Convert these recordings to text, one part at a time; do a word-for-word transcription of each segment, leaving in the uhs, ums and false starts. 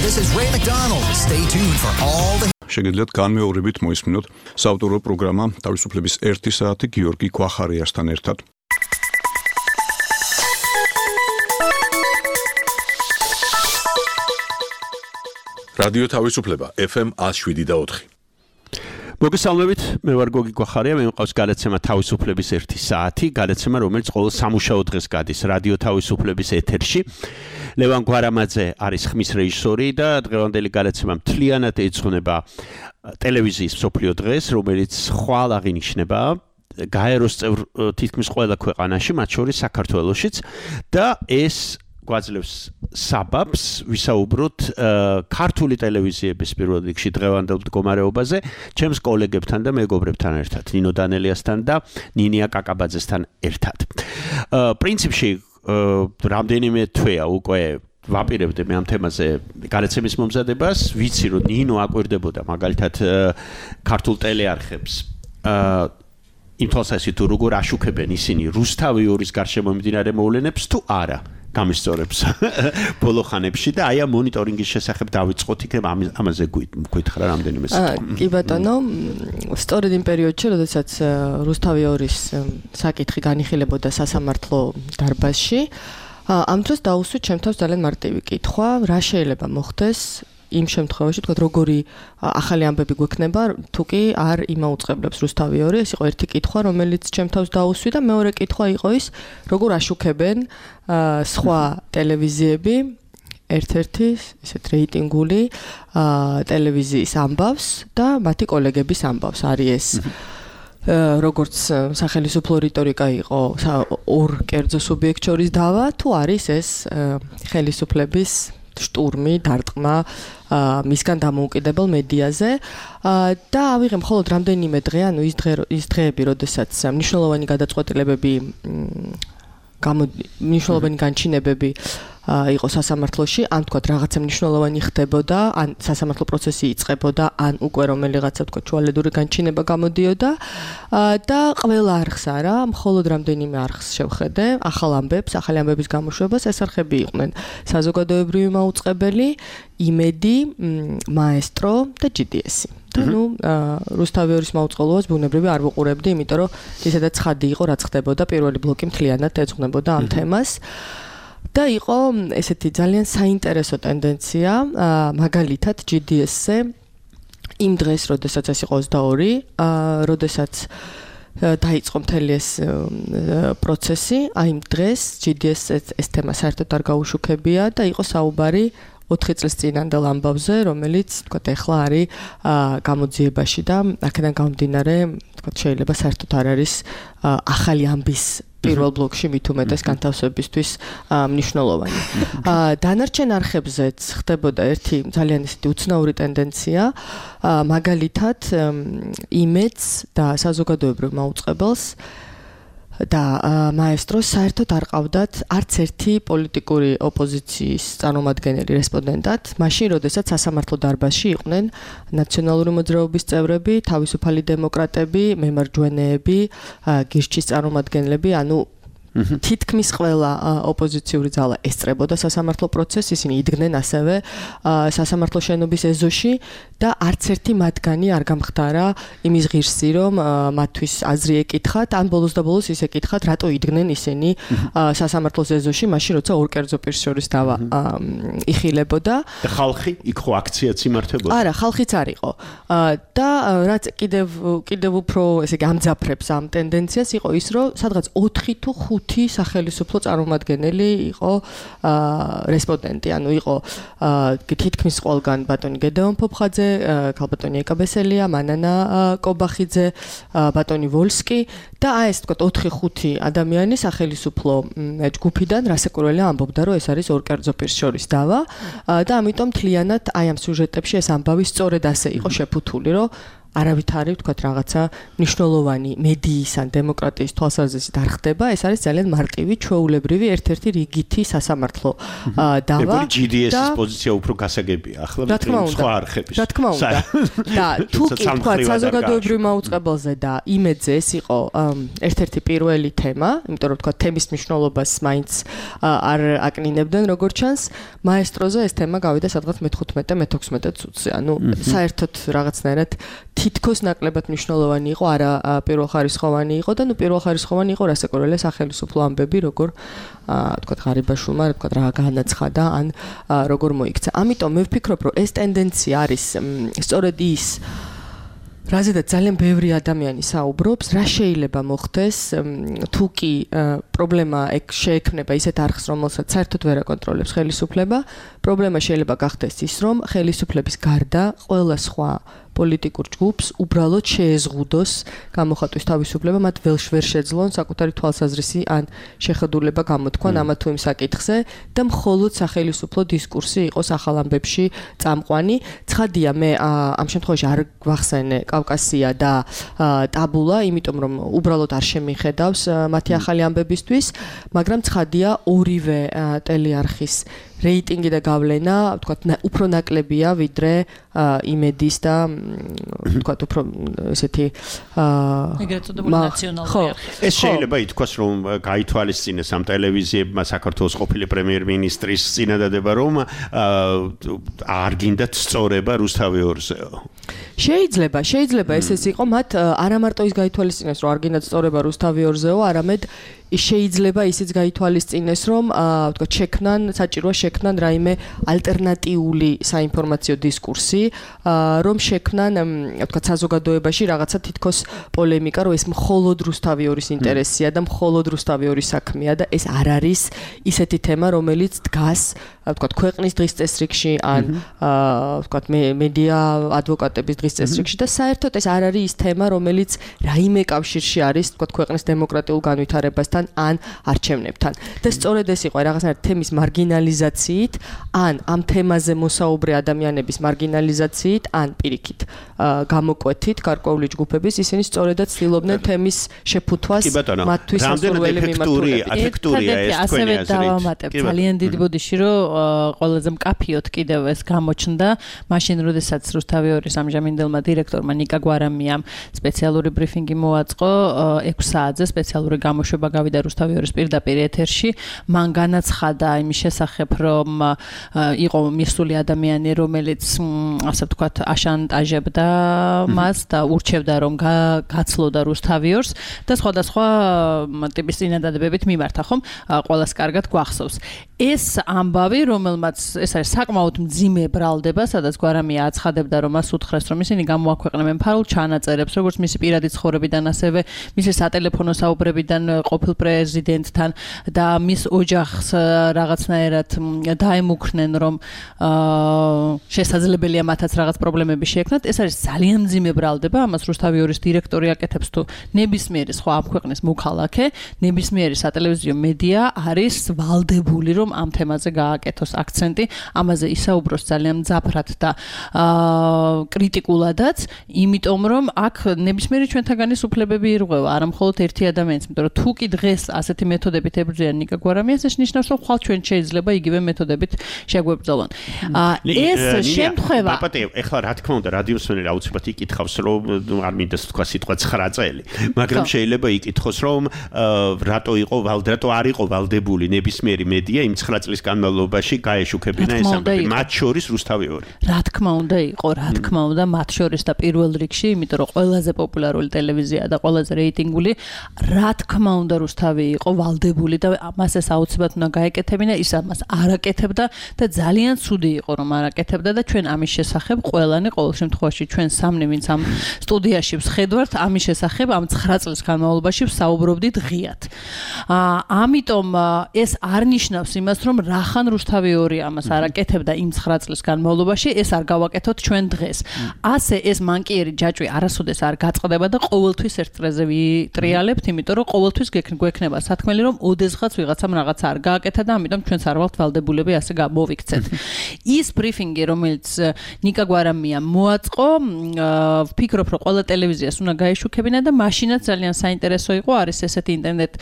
This is Ray McDonald. Stay tuned for all the შეგიძლიათ განმეორებით მოისმინოთ საავტორო პროგრამა თავისუფლების ერთი საათი გიორგი ქვახარიასთან ერთად. რადიო თავისუფლება F M one oh seven და four. მოგესალმებით, მე ვარ გოგი ქვახარია, მე მყავს გადაცემა თავისუფლების ერთი საათი, გადაცემა რომელიც ყოველ სამუშაო დღეს გადის რადიო თავისუფლების ეთერში. ლევან გვარამაძე არის ხმის რეჟისორი და დღევანდელი გადაცემა მთლიანად ეძღვნება ტელევიზიის მსოფლიო დღეს, რომელიც ხვალ აღინიშნება გაეროს წევრ თითქმის ყველა ქვეყანაში, მათ შორის საქართველოშიც და ეს გვაძლევს საბაბს ვისაუბროთ ქართული ტელევიზიების პირველ რიგში დღევანდელ მდგომარეობაზე ჩემს კოლეგებთან და მეგობრებთან ერთად, ნინო დანელიასთან და ნინია კაკაბაძესთან ერთად. პრინციპში რამდენიმე თვეა უკვე ვაპირებდი მე ამ თემაზე გადაცემის მომზადებას, ვიცი რომ ნინო აკვირდებოდა მაგალითად ქართულ ტელეარხებს იმ თვალსაზრისით თუ როგორ აშუქებენ ისინი რუსთავი ორის გარშემო მიმდინარე მოვლენებს თუ არა გამისწორებს ბოლო ხანებში და აი ამ მონიტორინგის შესახებ დავიწყოთ იქნებ ამაზე გითხრა რამდენიმე სიტყვა. კი ბატონო, სწორედ იმ პერიოდში, როდესაც რუსთავი ორის საკითხი განიხილებოდა სასამართლო დარბაზში, ამ დროს დაუსვით ჩემ თავს ძალიან მარტივი კითხვა, რა შეიძლება მოხდეს იმ შემთხვევაში, თქვა როგორი ახალი ამბები გვექნება, თუ კი არ იმაუწყებლებს რუსთავი ორი, ეს იყო ერთი კითხვა, რომელიც ჩემ თავს დაუსვი და მეორე კითხვა იყო ის, როგორ აშუქებენ სხვა ტელევიზიები ერთ-ერთი ესეთ რეიტინგული ტელევიზიის ამბავს და მათი კოლეგების ამბავს. არის ეს როგორც სახელმწიფო რიტორიკა იყო ორ კერძო სუბიექტ შორის დავა, თუ არის ეს ხელისუფლების შტურმი, დარტყმა მისგან დამოუკიდებელ მედიაზე და ავიღე მხოლოდ რამდენიმე დღე, ანუ ის დღე ის დღეები, როდესაც მნიშვნელოვანი გადაწყვეტილებები მნიშვნელოვანი განჩინებები იყო სასამართლოში, ან თქვა რაღაცა მნიშვნელოვანი ხდებოდა, ან სასამართლო პროცესი იწყებოდა, ან უკვე რომელიღაცა თქვა ჩუალედური განჩინება გამოდიოდა და ყველა არხს არა, მხოლოდ რამდენიმე არხს შევხედე, ახალ ამბებს, ახალი ამბების გამოშვებას, ეს არხები იყვნენ საზოგადოებრივი მაუწყებელი, იმედი, მაესტრო და G D S. და ნუ რუსთავი ორის მაუწყებლობას ბუნებრივი არ ვუყურებდი, იმიტომ რომ ისედაც ცხადი იყო, რაც ხდებოდა, პირველი ბლოკი მთლიანად ეძღვნებოდა ამ თემას. და იყო ესეთი ძალიან საინტერესო ტენდენცია, მაგალითად G D S-ზე იმ დღეს, როდესაც ეს იყო ოცდაორი, როდესაც დაიწყო მთელი ეს პროცესი, აი იმ დღეს G D S-ზე ეს თემა საერთოდ არ გაუშუქებია და იყო საუბარი ოთხი წლის წინანდელ ამბავზე, რომელიც თქვა ეხლა არის გამოძიებაში და აქედან გამომდინარე, თქვა შეიძლება საერთოდ არ არის ახალი ამბის პირველ ბლოკში მით უმეტეს განთავსებისთვის მნიშვნელოვანი. დანარჩენ არხებზეც ხდებოდა ერთი ძალიან ისეთი უცნაური ტენდენცია, მაგალითად იმედს და საზოგადოებრივ მაუწყებელს და მაესტროს საერთოდ არ ყავდათ არც ერთი პოლიტიკური ოპოზიციის წარმომადგენელი რესპონდენტად, მაშინ როდესაც სასამართლო დარბაზში იყვნენ ნაციონალური მოძრაობის წევრები, თავისუფალი დემოკრატები, მემარჯვენეები, გირჩის წარმომადგენლები, ანუ თითქმის ყველა ოპოზიციური ძალა ესწრებოდა სასამართლო პროცესს, ისინი იდგნენ ასევე სასამართლო შენობის ეზოში და არც ერთი მათგანი არ გამხდარა იმის ღირსი, რომ მათთვის აზრი ეკითხათ, ან ბოლოს და ბოლოს ის ეკითხათ, რატო იდგნენ ისინი სასამართლოს ეზოში, მაშინ როცა ორ კერძო პირს შორის დავა იხილებოდა. და ხალხი იქ ხო აქციაც იმართებოდა? არა, ხალხიც არ იყო. და რაც კიდევ კიდევ უფრო ესე იგი ამძაფრებს ამ ტენდენციას იყო ის, რომ სადღაც ოთხი თუ ხუთი სახელმწიფო წარმომადგენელი იყო რესპონდენტი, ანუ იყო თითქმის ყველგან ბატონი გედეონ ფოფხაძე, ქალბატონი ეკაბესელია, მანანა კობახიძე, ბატონი ვოლსკი და აი ეს თქვა ოთხი ხუთი ადამიანი სახელმწიფო ჯგუფიდან რასაკვირველია ამბობდა, რომ ეს არის ორ კერძო პირს შორის დავა და ამიტომ მთლიანად აი ამ სიუჟეტებში ეს ამბავი სწორედ ასე იყო შეფუთული, რომ არავითარი ვთქვათ რაღაცა მნიშვნელოვანი მედიის ან დემოკრატიის თვალსაზრისით არ ხდება, ეს არის ძალიან მარტივი, ჩვეულებრივი ერთ-ერთი რიგითი სასამართლო დავა. ჯი დი ეს-ის პოზიცია უფრო გასაგებია, ახლა სხვა არხების. რა თქმა უნდა. და თუ კი ვთქვათ საზოგადოებრივ მაუწყებელზე და იმედზე ეს იყო ერთ-ერთი პირველი თემა, იმიტომ რომ ვთქვათ თემის მნიშვნელობას მაინც არ აკნინებდნენ როგორც ჩანს, მაესტროზე ეს თემა გავიდა სადღაც მეთხუთმეტე მეთექვსმეტე წუთზე. ანუ საერთოდ რაღაცნაირად თითქოს ნაკლებად მნიშვნელოვანი იყო, არა პირველხარისხოვანი იყო და ნუ პირველხარისხოვანი იყო რასაკურველია სახელმწიფო ამბები, როგორ ვთქვათ ღარიბაშვილმა, ვთქვათ რა განაცხადა, ან როგორ მოიქცა. ამიტომ მე ვფიქრობ, რომ ეს ტენდენცია არის სწორედ ის რაზედაც ძალიან ბევრი ადამიანი საუბრობს, რა შეიძლება მოხდეს, თუ კი პრობლემა ეგ შეექმნება ისეთ არხს, რომელსაც საერთოდ ვერ აკონტროლებს ხელისუფლება, პრობლემა შეიძლება გახდეს ის, რომ ხელისუფლების გარდა ყველა სხვა პოლიტიკურ ჯგუფს უბრალოდ შეეზღუდოს გამოხატვის თავისუფლება, მათ ველშ ვერ შეძლონ საკუთარი თვალსაზრისი ან შეხედულება გამოთქვან ამა თუ იმ საკითხზე და მხოლოდ სახელისუფლო დისკურსი იყოს ახალ ამბებში წამყვანი. ცხადია, მე ამ შემთხვევაში არ გვახსენე კავკასია და ტაბულა, იმიტომ რომ უბრალოდ არ შემიხედავს მათი ახალი ამბებისთვის, მაგრამ ცხადია ორივე ტელეარხის რეიტინგი და გავლენა, ვთქვათ, უფრო ნაკლებია ვიდრე იმედის და ვთქვათ, უფრო ესეთი ეგრეთ წოდებული ნაციონალური არხი. ეს შეიძლება ითქვას, რომ გაითვალისწინეს ამ ტელევიზიებმა საქართველოს ყოფილი პრემიერ-მინისტრის წინადადება, რომ არ გინდათ სწორება რუსთავი ორზეო. შეიძლება, შეიძლება ესეც იყო, მათ არა მარტო ის გაითვალისწინეს, რომ არ გინდათ სწორება რუსთავი ორზეო, არამედ შეიძლება ისიც გაითვალისწინეს, რომ ვთქვათ, შექმნან, საჭიროა შექმნან რაიმე ალტერნატიული საინფორმაციო დისკურსი, რომ შექმნან, ვთქვათ, საზოგადოებაში რაღაცა თითქოს პოლემიკა, რომ ეს მხოლოდ რუსთავი ორის ინტერესია და მხოლოდ რუსთავი ორის საქმეა და ეს არ არის ისეთი თემა, რომელიც დგას, ვთქვათ, ქვეყნის დღის წესრიგში ან ვთქვათ, მედია ადვოკატების დღის წესრიგში და საერთოდ ეს არ არის ის თემა, რომელიც რაიმე კავშირში არის, ვთქვათ, ქვეყნის დემოკრატიულ განვითარებასთან ან არჩევნებთან. და სწორედ ეს იყო რაღაცნაირად თემის მარგინალიზაციით, ან ამ თემაზე მოსაუბრე ადამიანების მარგინალიზაციით, ან პირიქით გამოკვეთით გარკვეული ჯგუფების, ისინი სწორედაც ცდილობდნენ თემის შეფუთვას მათთვის სასურველი მიმართულებით. აფექტურია ეს თქვენი აზრით. დავამატებ ძალიან დიდ ბოდიში, რომ ყველაზე მკაფიოდ კიდევ ეს გამოჩნდა, მაშინ როდესაც რუსთავი ორის ამჟამინდელმა დირექტორმა ნიკა გვარამიამ სპეციალური ბრიფინგი მოაწყო ექვს საათზე სპეციალური გამოშვება გავიდა რუსთავი ორის პირდაპირ ეთერში, მან განაცხადა იმის შესახებ, რომ იყო მისული ადამიანი, რომელიც ასე ვთქვათ, აშანტაჟებდა მას და ურჩევდა, რომ გაცლოდა რუსთავი ორს და სხვადასხვა ტიპის წინადადებებით მიმართა, ხომ? ყველას კარგად გვახსოვს. ეს ამბავი, რომელმაც ეს არის საკმაოდ მძიმე ბრალდება, სადაც გვარამია აცხადებდა, რომ მას უთხრეს, რომ ისინი გამოაქვეყნებენ ფარულ ჩანაწერებს, როგორც მისი პირადი ცხოვრებიდან, ასევე მისი სატელეფონო საუბრებიდან ყოფილ პრეზიდენტთან და მის ოჯახს რაღაცნაირად დაემუქრნენ, რომ შესაძლებელია მათაც რაღაც პრობლემები შეექმნათ. ეს არის ძალიან მძიმე ბრალდება, ამას რუსთავი ორის დირექტორი აკეთებს თუ ნებისმიერი სხვა ამ ქვეყნის მოქალაქე, ნებისმიერი სატელევიზიო მედია არის ვალდებული, რომ ამ თემაზე გააკეთოს აქცენტი, ამაზე ისაუბროს ძალიან მძაფრად და კრიტიკულადაც, იმიტომ რომ აქ ნებისმიერი ჩვენთაგანის უფლებები ირღვევა, არა მხოლოდ ერთი ადამიანის, იმიტომ რომ თუ კი დღეს ასეთი მეთოდებით ებრძვიან ნიკა გვარამიას, ეს ნიშნავს, რომ ხვალ ჩვენ შეიძლება იგივე მეთოდებით შეგვებრძოლონ. ეს შემთხვევა პაპატე, ეხლა რა თქმა უნდა, რადიოსმენი აუცილებლად იკითხავს, რომ არ მინდა თქვა სიტყვა ცხრა წელი, მაგრამ შეიძლება იკითხოს, რომ რატო იყო რატო არ იყო ვალდებული ნებისმიერი მედია იმ ცხრა წლის განმავლობაში გაეშუქებინა ეს ამბები, მათ შორის რუსთავი ორი. რა თქმა უნდა იყო, რა თქმა უნდა, მათ შორის და პირველ რიგში, იმიტომ რომ ყველაზე პოპულარული ტელევიზია და ყველაზე რეიტინგული, რა თქმა უნდა რუსთავი იყო ვალდებული და მას ეს აუცილებლად უნდა გაეკეთებინა, ის ამას არ აკეთებდა და ძალიან ცუდი იყო, რომ არ აკეთებდა და ჩვენ ამის შესახებ ყველანი ყოველ შემთხვევაში ჩვენ სამნი ვინც ამ სტუდიაში ვხედავთ, ამის შესახებ ამ ცხრა წლის განმავლობაში ვსაუბრობდით ღიად. ამიტომ ეს არ ნიშნავს იმას, რომ რახან რუსთავი ორი ამას არ აკეთებდა იმ ცხრა წლის განმავლობაში, ეს არ გავაკეთოთ ჩვენ დღეს. ასე ეს მანკიერი ჯაჭვი არასოდეს არ გაწყდება და ყოველთვის ერთ წრეზე ვიტრიალებთ, იმიტომ რომ ყოველთვის გექნ გვექნება სათქმელი რომ ოდესღაც ვიღაცამ რაღაცა არ გააკეთა და ამიტომ ჩვენც არ ვართ ვალდებულები ასე გამოვიქცეთ. ის ბრიფინგი რომელიც ნიკა გვარამიამ მოაწყო, ვფიქრობ რომ ყველა ტელევიზიას უნდა გაეშუქებინა და მაშინაც ძალიან საინტერესო იყო, არის ესეთი ინტერნეტ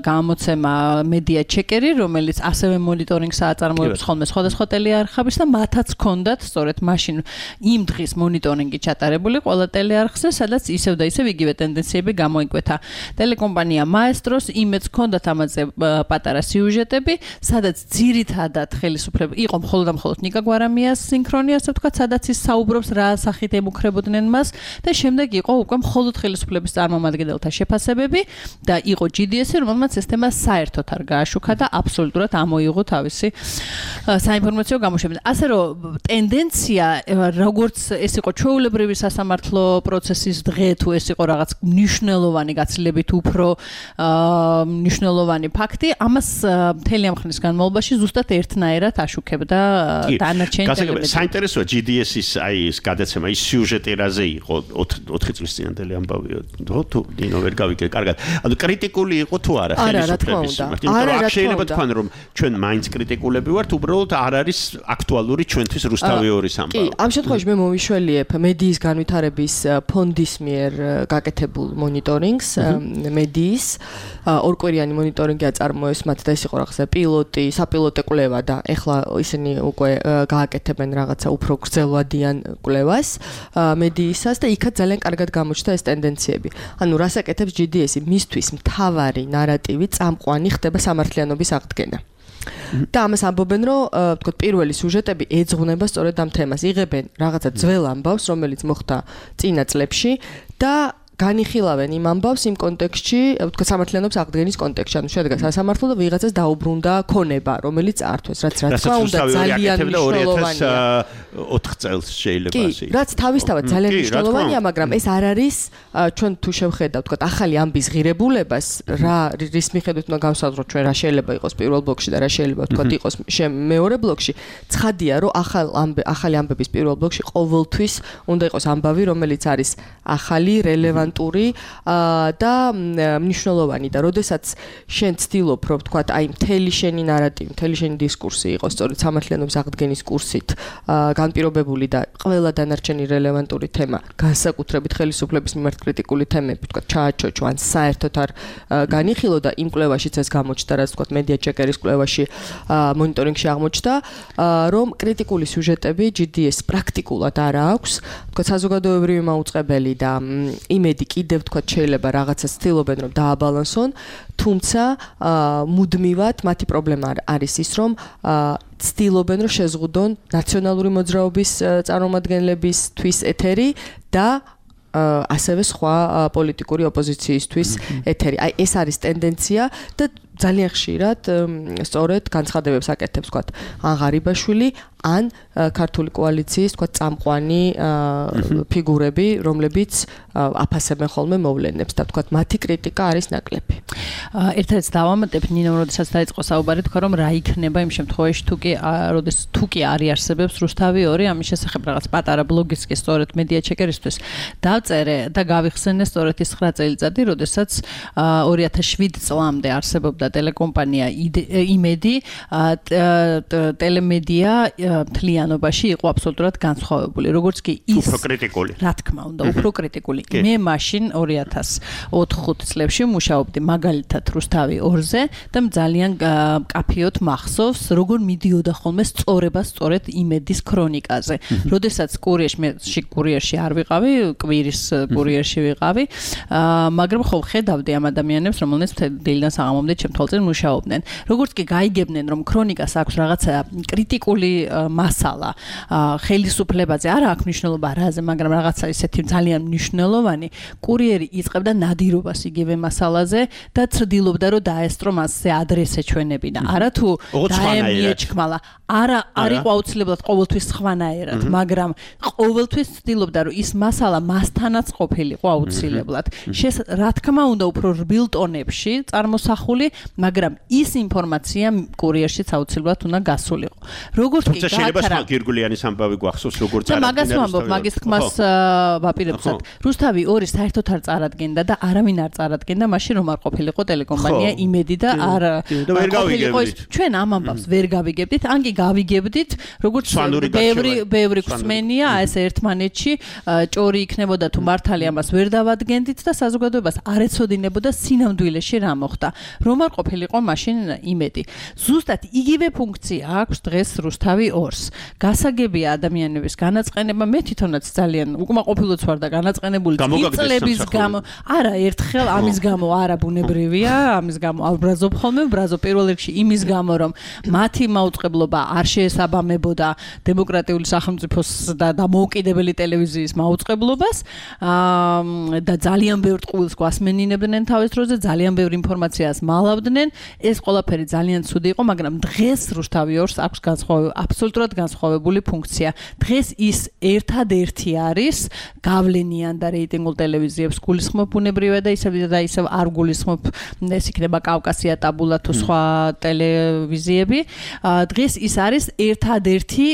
გამოცემა მედია ჩეკერი, რომელიც ასევე მონიტორინგს აწარმოებს ხოლმე სხვადასხვა ტელეარხების და მათაც ჰქონდათ სწორედ მაშინ იმ დღის მონიტორინგი ჩატარებული ყველა ტელეარხზე, სადაც ისევ და ისევ იგივე ტენდენციები გამოიკვეთა. ტელეკომპანია მაესტროს იმედს ჰქონდათ ამაზე პატარა სიუჟეტები, სადაც ძირითადად ხელისუფლება იყო მხოლოდ და მხოლოდ ნიკა გვარამიას სინქრონი, ასე ვთქვათ, სადაც ის საუბრობს რა სახით ემუქრებოდნენ მას და შემდეგ იყო უკვე მხოლოდ ხელისუფლების წარმომადგენელთა შეფასებები და იყო ჯი დი ესი, რომელმაც ეს თემა საერთოდ არ გააშუქა და აბსოლუტურად ამოიღო თავისი საინფორმაციო გამოშვება. ასე რომ ტენდენცია როგორც ეს იყო ჩვეულებრივი სასამართლო პროცესის დღე თუ ეს იყო რაღაც მნიშვნელოვანი გაცილებით უფრო მნიშვნელოვანი ფაქტი, ამას მთელი ამ ხნის განმავლობაში ზუსტად ერთნაირად აშუქებდა დანარჩენი ტელევიზია. საინტერესოა ჯი დი ესი-ის აი ეს გადაცემა, ის სიუჟეტი რაზე იყო ოთხი წლის წინანდელი ამბავია. თუ ნინო ვერ გავიგე კარგად. ანუ კრიტიკული იყო თუ არა ხელისუფლების მიმართ? არა, რა შეიძლება თქვან რომ ჩვენ მაინც კრიტიკულები ვართ, უბრალოდ არ არის აქტუალური ჩვენთვის რუსთავი ორის ამბავი. კი, ამ შემთხვევაში მე მოვიშველიებ მედიის განვითარების ფონდის მიერ გაკეთებულ მონიტორინგს, მედიის ორკვირიანი მონიტორინგი აწარმოეს მათ და ეს იყო რაღაცა პილოტი, საპილოტე კვლევა და ეხლა ისინი უკვე გააკეთებენ რაღაცა უფრო გრძელვადიან კვლევას მედიისას და იქაც ძალიან კარგად გამოჩნდა ეს ტენდენციები. ანუ რას აკეთებს ჯი დი ესი? მისთვის მთავარი ნარატივი წამყვანი ხდება სამართლიანობის აღდგენა. და ამას ამბობენ, რომ ვთქვათ, პირველი სიუჟეტები ეძღვნება სწორედ ამ თემას. იღებენ რაღაცა ძველ ამბავს, რომელიც მოხდა წინა წლებში და განიხილავენ იმ ამბავს იმ კონტექსტში, ვთქვათ, სამართლიანობის აღდგენის конტექსტში. ანუ შედგა სასამართლო და ვიღაცას დაუბრუნდა ქონება, რომელიც ართვეს, რაც რა თქმა უნდა ძალიან მნიშვნელოვანია. ოთხ წელს შეიძლება ასე. კი, რაც თავისთავად ძალიან მნიშვნელოვანია, მაგრამ ეს არ არის ჩვენ თუ შევხედავთ, ვთქვათ, ახალი ამბის ღირებულებას, რა რის მიხედვით უნდა გავსაზღვროთ ჩვენ რა შეიძლება იყოს პირველ ბლოკში და რა შეიძლება ვთქვათ იყოს მეორე ბლოკში. ცხადია, რომ ახალ ამბე ახალი ამბების პირველ ბლოკში ყოველთვის უნდა იყოს ამბავი, რომელიც არის ახალი, რელევანტური და მნიშვნელოვანი და როდესაც შენ ცდილობ, რომ ვთქვათ, აი მთელი შენი ნარატივი, მთელი შენი დისკურსი იყოს სწორედ სამართლიანობის აღდგენის კურსით განპირობებული და ყველა დანარჩენი რელევანტური თემა, განსაკუთრებით ხელისუფლების მიმართ კრიტიკული თემები, ვთქვათ, ჩააჩოჩო ან საერთოდ არ განიხილო და იმ კვლევაშიც ეს გამოჩნდა, რაც ვთქვათ, მედია ჩეკერის კვლევაში მონიტორინგში აღმოჩნდა, რომ კრიტიკული სიუჟეტები ჯი დი ეს პრაქტიკულად არ აქვს, ვთქვათ, საზოგადოებრივი მაუწყებელი და იმედი კიდევ ვთქვათ შეიძლება რაღაცას ცდილობენ რომ დააბალანსონ, თუმცა მუდმივად მათი პრობლემა არის ის რომ ცდილობენ რომ შეზღუდონ ნაციონალური მოძრაობის წარმომადგენლებისთვის ეთერი და ასევე სხვა პოლიტიკური ოპოზიციისთვის ეთერი. აი ეს არის ტენდენცია და ძალიან ხშირად სწორედ განცხადებებს აკეთებს, ვთქვათ, ან ღარიბაშვილი, ან ქართული კოალიციის, ვთქვათ, წამყვანი ფიგურები, რომლებიც აფასებენ ხოლმე მოვლენებს და ვთქვათ, მათი კრიტიკა არის ნაკლები. ერთადაც დავამატებ, ნინო, როდესაც დაიწყო საუბარი, თქვა რომ რა იქნება იმ შემთხვევაში, თუ კი როდეს თუ კი არ იარსებებს რუსთავი ორი, ამის შესახებ რაღაც პატარა ბლოგიც კი სწორედ მედია ჩეკერისთვის დავწერე და გავიხსენე სწორედ ის ცხრა წელიწადი, როდესაც ორი ათას შვიდ წლამდე არსებობდა ტელეკომპანია იმედი, ტელემედია მთლიანობაში იყო აბსოლუტურად განსხვავებული. როგორც კი ის უფრო კრიტიკული. რა თქმა უნდა, უფრო კრიტიკული. მე მაშინ ორი ათას ოთხ წლებში მუშაობდი მაგალითად რუსთავი ორზე და ძალიან კაფეოთ მახსოვს, როგორ მიდიოდა ხოლმე სწორება სწორედ იმედის ქრონიკაზე. როდესაც კურიერში მე კურიერში არ ვიყავი, კვირის კურიერში ვიყავი, მაგრამ ხო ხედავდი ამ ადამიანებს, რომელნაც დილიდან საღამომდე ჩემთვალწინ მუშაობდნენ. როგორც კი გაიგებდნენ, რომ ქრონიკას აქვს რაღაცა კრიტიკული მასალა, ხელისუფლებაზე არ აქვს მნიშვნელობა რაზე, მაგრამ რაღაცა ისეთი ძალიან მნიშვნელოვანი, კურიერი იწყებდა ნადირობას იგივე მასალაზე და ცდილობდა რომ დაესწრო მასზე ადრესე ჩვენებინა. არა თუ დაემიეჩქმალა, არა არ იყო აუცილებლად ყოველთვის სხვანაირად, მაგრამ ყოველთვის ცდილობდა რომ ის მასალა მასთანაც ყოფილიყო აუცილებლად. რა თქმა უნდა უფრო რბილ ტონებში წარმოსახული, მაგრამ ის ინფორმაცია კურიერშიც აუცილებლად უნდა გასულიყო. როგორც კი გაათარა შეიძლება სხვა გირგულიანის ამბავი გვახსოვს როგორც არა მაგას ვამბობ მაგის თქმას ვაპირებსად რუსთავი ორი საერთოდ არ წარადგენდა და არავინ არ წარადგენდა მაშინ რომ არ ყოფილიყო ტელეკომპანია იმედი და არ ყოფილიყო ჩვენ ამ ამბავს ვერ გავიგებდით ან კი გავიგებდით როგორც ბევრი ბევრი ხსმენია ეს ერთმანეთში ჭორი იქნებოდა თუ მართალი ამას ვერ დავადგენდით და საზოგადოებას არ ეცოდინებოდა სინამდვილეში რა მოხდა რომ არ ყოფილიყო მაშინ იმედი ზუსტად იგივე ფუნქცია აქვს დღეს რუსთავი ორს გასაგებია ადამიანების განაწყენება მე თვითონაც ძალიან უკმაყოფილოც ვარ და განაწყენებული წლების გამო არა ერთხელ ამის გამო არა ბუნებრივია ამის გამო აბრაზობ ხოლმე ბრაზო პირველ რიგში იმის გამო რომ მათი მაუწყებლობა არ შეესაბამებოდა დემოკრატიული სახელმწიფოს და დამოუკიდებელი ტელევიზიის მაუწყებლობას და ძალიან ბევრ ტყუილს გვასმენინებდნენ თავის დროზე ძალიან ბევრ ინფორმაციას მალავდნენ ეს ყველაფერი ძალიან ცუდი იყო მაგრამ დღეს რუსთავი ორს აქვს განსხვავებული აბსოლუტურად განსხვავებული ფუნქცია დღეს ის ერთადერთი არის გავლენიან და რეიტინგულ ტელევიზიებს გულისხმობ ბუნებრივია და ისევ და ისევ არ გულისხმობ ეს იქნება კავკასია ტაბულა თუ სხვა ტელევიზიები დღეს ის არის ერთადერთი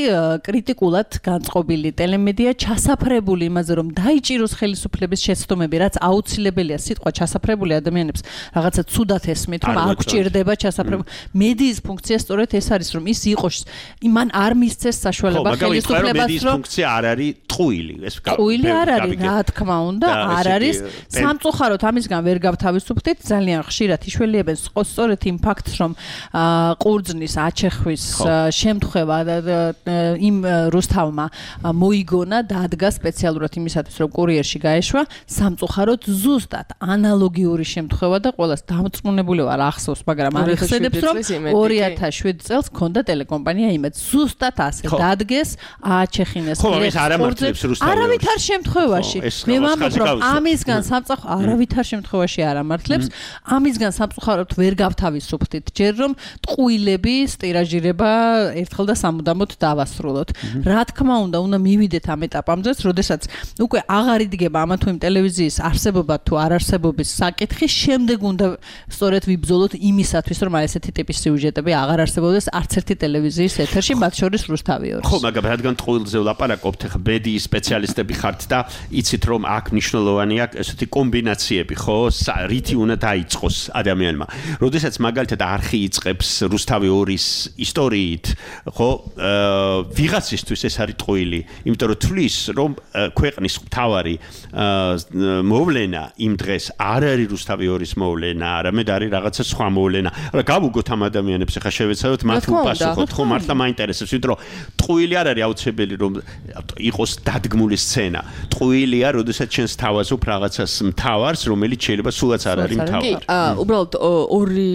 კრიტიკულად განწყობილი ტელემედია ჩასაფრებული იმაზე რომ დაიჭიროს ხელისუფლების შეცდომები რაც აუცილებელია სიტყვა ჩასაფრებული ადამიანებს რაღაცა ცუდად ესმით რომ არ გჭირდება ჩასაფრებული მედიის ფუნქცია სწორედ ეს არის რომ ის იყოს იმან არ მისცეს საშუალება ხელისუფლებას რომ ფუნქცია არ არის ტყუილი ეს ტყუილი არ არის რა თქმა უნდა არ არის სამწუხაროდ ამისგან ვერ გავთავისუფლდით ძალიან ხშირად იშველიებენ სწორედ იმ ფაქტს რომ ყურძნის აჩეხვის შემთხვევა იმ რუსთავმა მოიგონა დადგა სპეციალურად იმისათვის რომ კურიერში გაეშვა სამწუხაროდ ზუსტად ანალოგიური შემთხვევა და ყველას დამწმუნებული ვარ ახსოვს მაგრამ არ ეხსენებს რომ ორი ათას შვიდი წელს ქონდა ტელეკომპანია იმეც ზუსტად ასე დადგეს აჩეხინეს ყურძნებს არავითარ შემთხვევაში მე ვამბობ რომ ამისგან სამწუხაროდ არავითარ შემთხვევაში არ ამართლებს ამისგან სამწუხაროდ ვერ გავთავისუფლდით ჯერ რომ ტყუილების ტირაჟირება ერთხელ და სამუდამოდ დავასრულოთ რა თქმა უნდა უნდა მივიდეთ ამ ეტაპამდე როდესაც უკვე აღარ იდგება ამა თუ იმ ტელევიზიის არსებობა თუ არ არსებობის საკითხი შემდეგ უნდა სწორედ ვიბრძოლოთ იმისათვის რომ ესეთი ტიპის სიუჟეტები აღარ არსებობდეს არც ერთი ტელევიზიის ეთერში მათ შორის რუსთავი ორს ხო მაგრამ რადგან ტყუილზე ვლაპარაკობთ ხა ბედიის სპეციალისტები ხართ და იცით რომ აქ მნიშვნელოვანია ესეთი კომბინაციები ხო რითი უნდა დაიწყოს ადამიანმა როდესაც მაგალითად არხი იწყებს რუსთავი ორის ისტორიით ხო ვიღაცისთვის ეს არის ტყუილი იმიტომ რომ თulis რომ ქვეყნის მთავარი მოვლენა იმ დღეს არ არის რუსთავი ორის მოვლენა არამედ არის რაღაცა სხვა მოვლენა რა გავუგოთ ამ ადამიანებს ხა შევეცადოთ მათ უპასუხოთ ხო მართლა მაინტერესებს იმიტომ რომ ტყუილი არ არის აუცილებელი რომ იყოს დადგმული სცენა ტყუილია როდესაც ჩვენს თავაზობ რაღაცას მთავარს რომელიც შეიძლება სულაც არ არის მთავარი კი უბრალოდ ორი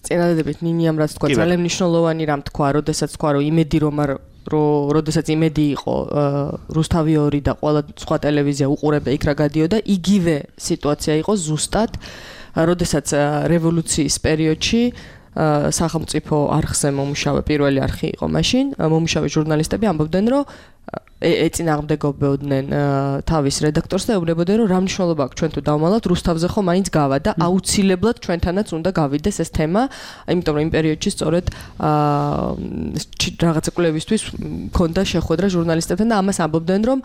წინადადებით ნინიამ რაც თქვა ძალიან მნიშვნელოვანი რამ თქვა როდესაც თქვა რომ იმედი რომ არ რომ როდესაც იმედი იყო რუსთავი ორი და ყველა სხვა ტელევიზია უყურებდა იქ რა გადიოდა იგივე სიტუაცია იყო ზუსტად როდესაც რევოლუციის პერიოდში სახელმწიფო არხზე მომუშავე პირველი არხი იყო მაშინ მომუშავე ჟურნალისტები ამბობდნენ რომ ეწინააღმდეგებოდნენ თავის რედაქტორს და ეუბნებოდნენ რომ რა მნიშვნელობა აქვს ჩვენ თუ დავმალავთ რუსთავზე ხო მაინც გავა და აუცილებლად ჩვენთანაც უნდა გავიდეს ეს თემა იმიტომ რომ იმ პერიოდში სწორედ რაღაცა კვლევისთვის მქონდა შეხვედრა ჟურნალისტებთან და ამას ამბობდნენ რომ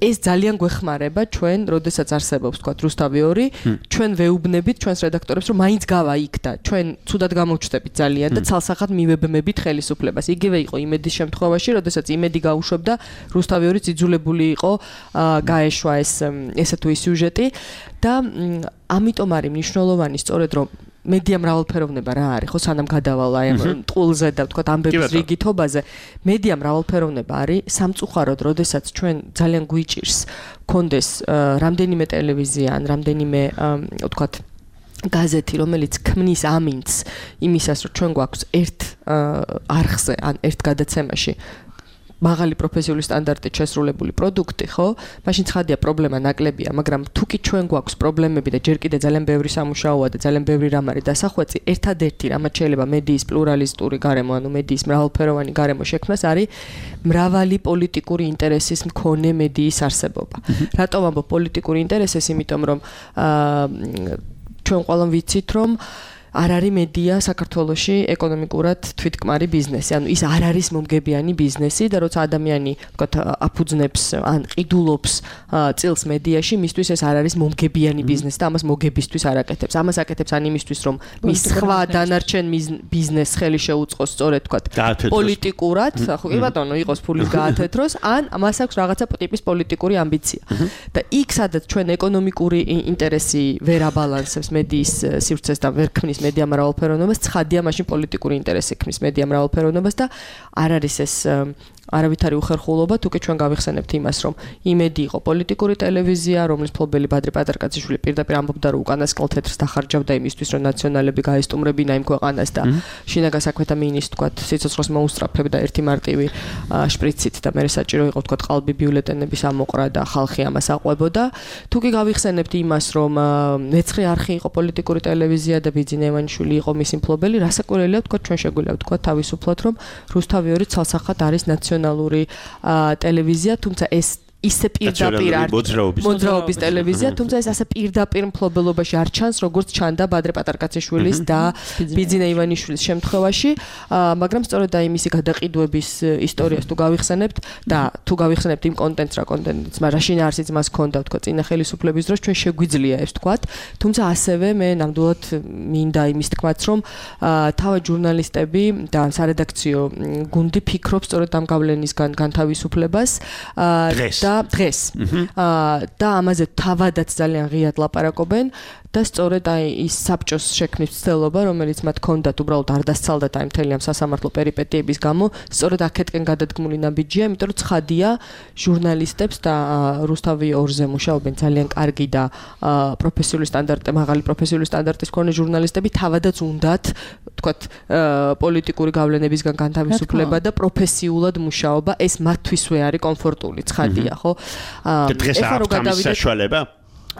ეს ძალიან გვეხმარება ჩვენ როდესაც არსებობს თქვა რუსთავი ორი ჩვენ ვეუბნებით ჩვენს რედაქტორებს რომ მაინც გავა იქ და ჩვენ ცუდად გამოვჩნდებით ძალიან და ცალსახად მივებმებით ხელისუფლებას იგივე იყო იმედის შემთხვევაში როდესაც იმედი გაუშვებდა რუსთავი ორი ძიძულებული იყო გაეშვა ეს ესა თუ ის სიუჟეტი და ამიტომ არის მნიშვნელოვანი სწორედ რომ მედია მრავალფეროვნება რა არის ხო სანამ გადავალ აი ამ ტყულზე და თქვა ამბების რიგითობაზე მედია მრავალფეროვნება არის სამწუხაროდ როდესაც ჩვენ ძალიან გვიჭირს კონდეს რამდენიმე ტელევიზია ან რამდენიმე თქვა გაზეთი რომელიც ქმნის ამინდს იმისას რომ ჩვენ გვაქვს ერთ არხზე ან ერთ გადაცემაში მაღალი პროფესიული სტანდარტით შესრულებული პროდუქტი, ხო? მაშინ ცხადია პრობლემა ნაკლებია, მაგრამ თუ კი ჩვენ გვაქვს პრობლემები და ჯერ კიდე ძალიან ბევრი სამუშაოა და ძალიან ბევრი რამ არის დასახვეწი, ერთადერთი რამაც შეიძლება მედიის პლურალისტური გარემო, ანუ მედიის მრავალფეროვანი გარემო შექმნას არის მრავალი პოლიტიკური ინტერესის მქონე მედიის არსებობა. რატომ ამბობ პოლიტიკური ინტერესის? იმიტომ რომ ჩვენ ყველამ ვიცით რომ არ არის მედია საქართველოში ეკონომიკურად თვითკმარი ბიზნესი. ანუ ის არ არის მომგებიანი ბიზნესი და როცა ადამიანი ვთქვათ აფუძნებს ან ყიდულობს წილს მედიაში, მისთვის ეს არ არის მომგებიანი ბიზნესი და ამას მოგებისთვის არ აკეთებს. ამას აკეთებს ან იმისთვის, რომ მის სხვა დანარჩენ ბიზნესს ხელი შეუწყოს, სწორედ ვთქვათ, პოლიტიკურად, ხო კი ბატონო, იყოს ფულის გაათეთროს, ან მას აქვს რაღაცა ტიპის პოლიტიკური ამბიცია. და იქ სადაც ჩვენ ეკონომიკური ინტერესი ვერ აბალანსებს მედიის სივრცეს და ვერ ქმნის მედია მრავალფეროვნებას, ცხადია მაშინ პოლიტიკური ინტერესი ქმნის მედია მრავალფეროვნებას და არ არის ეს არავითარი უხერხულობა, თუ კი ჩვენ გავიხსენებთ იმას, რომ იმედი იყო პოლიტიკური ტელევიზია, რომლის მფლობელი ბადრი პატარკაძიშვილი პირდაპირ ამბობდა, რომ უკანასკნელ თეთრს დახარჯავდა იმისთვის, რომ ნაციონალები გაესტუმრებინა იმ ქვეყანას და შინაგან საქმეთა მინისტრს თქვათ, სიცოცხლეს მოუსწრაფებდა ერთი მარტივი შპრიცით და მე საჭირო იყო თქვათ ყალბი ბიულეტენების ამოყრა და ხალხი ამას აყვებოდა. თუ კი გავიხსენებთ იმას, რომ მეცხრე არხი იყო პოლიტიკური ტელევიზია და ბიძინა ივანიშვილი იყო მისი მფლობელი, რასაკვირველია თქვათ, ჩვენ შეგვიძლია ვთქვათ თავისუფლად, რომ რუსთავი ორი ცალსახად არის ნაციონალური ტელევიზია, თუმცა ეს ისე პირდაპირ არ მოძრაობის ტელევიზია, თუმცა ეს ასე პირდაპირ მფლობელობაში არ ჩანს, როგორც ჩანდა ბადრე პატარკაციშვილის და ბიძინა ივანიშვილის შემთხვევაში, მაგრამ სწორედ აი მისი გადაყიდვების ისტორიას თუ გავიხსენებთ და თუ გავიხსენებთ იმ კონტენტს, რა კონტენტიც, მაგრამ შინაარსიც მას ჰქონდა, თქვა, წინა ხელისუფლების დროს ჩვენ შეგვიძლია ეს ვთქვათ, თუმცა ასევე მე ნამდვილად მინდა იმის თქმაც, რომ თავად ჟურნალისტები და სარედაქციო გუნდი ფიქრობს სწორედ ამ გავლენისგან განთავისუფლებას და და დღეს და ამაზე თავადაც ძალიან ღიად ლაპარაკობენ და სწორედ აი ის საბჭოს შექმნის ცდელობა, რომელიც მათ ჰქონდათ, უბრალოდ არ დასცალდათ აი მთელი ამ სასამართლო პერიპეტიების გამო, სწორედ აქეთკენ გადადგმული ნაბიჯია, იმიტომ რომ ცხადია ჟურნალისტებს და რუსთავი ორზე მუშაობენ ძალიან კარგი და პროფესიული სტანდარტი, მაღალი პროფესიული სტანდარტის მქონე ჟურნალისტები თავადაც უნდათ, თქვათ, პოლიტიკური გავლენებისგან განთავისუფლება და პროფესიულად მუშაობა, ეს მათთვისვე არის კომფორტული, ცხადია, ხო? დღეს აქვს ამის საშუალება?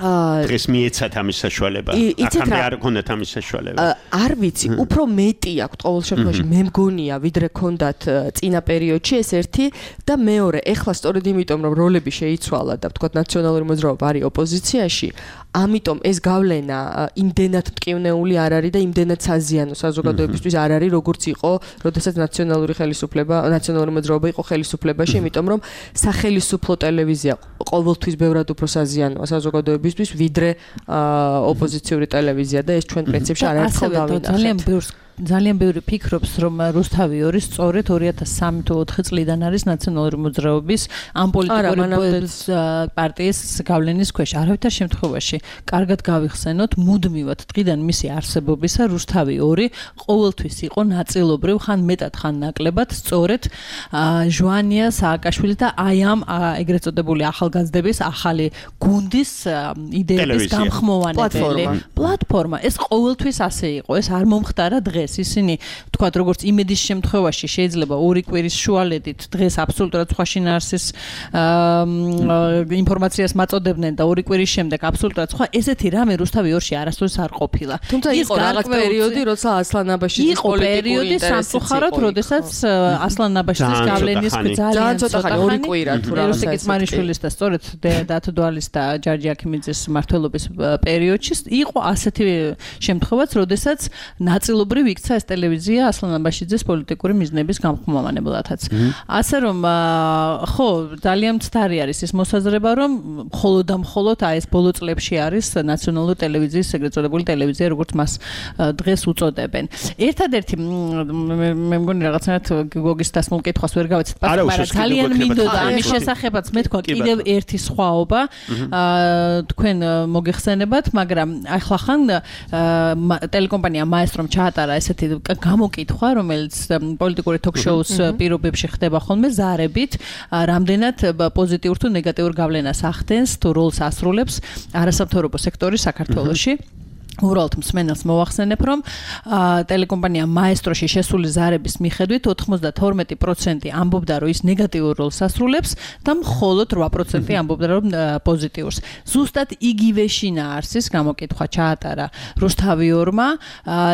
დღეს მიეცათ ამის საშუალება. აქამდე არ ქონდათ ამის საშუალება. არ ვიცი, უფრო მეტი აქვს ყოველ შემთხვევაში, მე მგონია, ვიდრე ქონდათ წინა პერიოდში ეს ერთი და მეორე, ეხლა სწორედ იმიტომ, რომ როლები შეიცვალა და ვთქვათ, ნაციონალური მოძრაობა არის ოპოზიციაში, ამიტომ ეს გავლენა იმდენად მტკივნეული არ არის და იმდენად საზიანო საზოგადოებისთვის არ არის, როგორც იყო, როდესაც ნაციონალური ხელისუფლება, ნაციონალური მოძრაობა იყო ხელისუფლებაში, იმიტომ რომ სახელისუფლო ტელევიზია ყოველთვის ბევრად უფრო საზიანოა საზოგადოებისთვის, ვიდრე ოპოზიციური ტელევიზია და ეს ჩვენ პრინციპში არაერთხელ დავინახეთ. ძალიან ბევრს ძალიან ბევრი ფიქრობს, რომ რუსთავი ორი სწორედ ორი ათას სამი თუ ოთხი წლიდან არის ნაციონალური მოძრაობის ამ პოლიტიკური პარტიის გავლენის ქვეშ. არავითარ შემთხვევაში კარგად გავიხსენოთ, მუდმივად დღიდან მისი არსებობისა რუსთავი ორი ყოველთვის იყო ნაწილობრივ, ხან მეტად, ხან ნაკლებად სწორედ ჟვანია სააკაშვილი და აი ამ ეგრეთ წოდებული ახალგაზრდების ახალი გუნდის იდეების გამხმოვანებელი პლატფორმა. ეს ყოველთვის ასე იყო, ეს არ მომხდარა დღეს. ისინი თქვათ, როგორც იმედის შემთხვევაში შეიძლება ორი კვირის შუალედით დღეს აბსოლუტურად სხვა შინაარსის ინფორმაციას მაწოდებდნენ და ორი კვირის შემდეგ აბსოლუტურად სხვა, ესეთი რამე რუსთავი ორში არასდროს არ ყოფილა. თუმცა იყო რაღაც პერიოდი, როცა ასლან აბაშიძის პოლიტიკური ინტერესი სამწუხაროდ, როდესაც ასლან აბაშიძის გავლენის ძალიან ცოტა ხანი ორი კვირა თუ რაღაცა რუსიკ იცმანიშვილის და სწორედ დათო დვალის და ჯარჯი აქიმიძის მმართველობის პერიოდში იყო ასეთი შემთხვევაც, როდესაც ნაწილობრივ იქცა ეს ტელევიზია ასლან აბაშიძის პოლიტიკური მიზნების გამხმოვანებლათაც. ასე რომ ხო, ძალიან მცდარი არის ის მოსაზრება, რომ მხოლოდ და მხოლოდ აი ეს ბოლო წლებში არის ნაციონალური ტელევიზიის ეგრეთ წოდებული ტელევიზია, როგორც მას დღეს უწოდებენ. ერთადერთი მე მგონი რაღაცნაირად გოგის დასმულ კითხვას ვერ გავეცეთ, მაგრამ ძალიან მინდოდა ამის შესახებაც მე თქვა კიდევ ერთი სხვაობა თქვენ მოგეხსენებათ, მაგრამ ახლა ხან ტელეკომპანია მაესტრომ ჩაატარა ესეთი გამოკითხვა, რომელიც პოლიტიკური ток-შოუს პირობებში ხდება ხოლმე ზარებით, რამდენად პოზიტიურ თუ ნეგატიურ გავლენას ახდენს თუ როლს ასრულებს არასამთავრობო სექტორი საქართველოში. უბრალოდ მსმენელს მოვახსენებ, რომ ტელეკომპანია მაესტროში შესული ზარების მიხედვით ოთხმოცდათორმეტი პროცენტი ამბობდა, რომ ის ნეგატიურ როლს ასრულებს და მხოლოდ რვა პროცენტი ამბობდა, რომ პოზიტიურს. ზუსტად იგივე შინაარსის გამოკითხვა ჩაატარა რუსთავი ორმა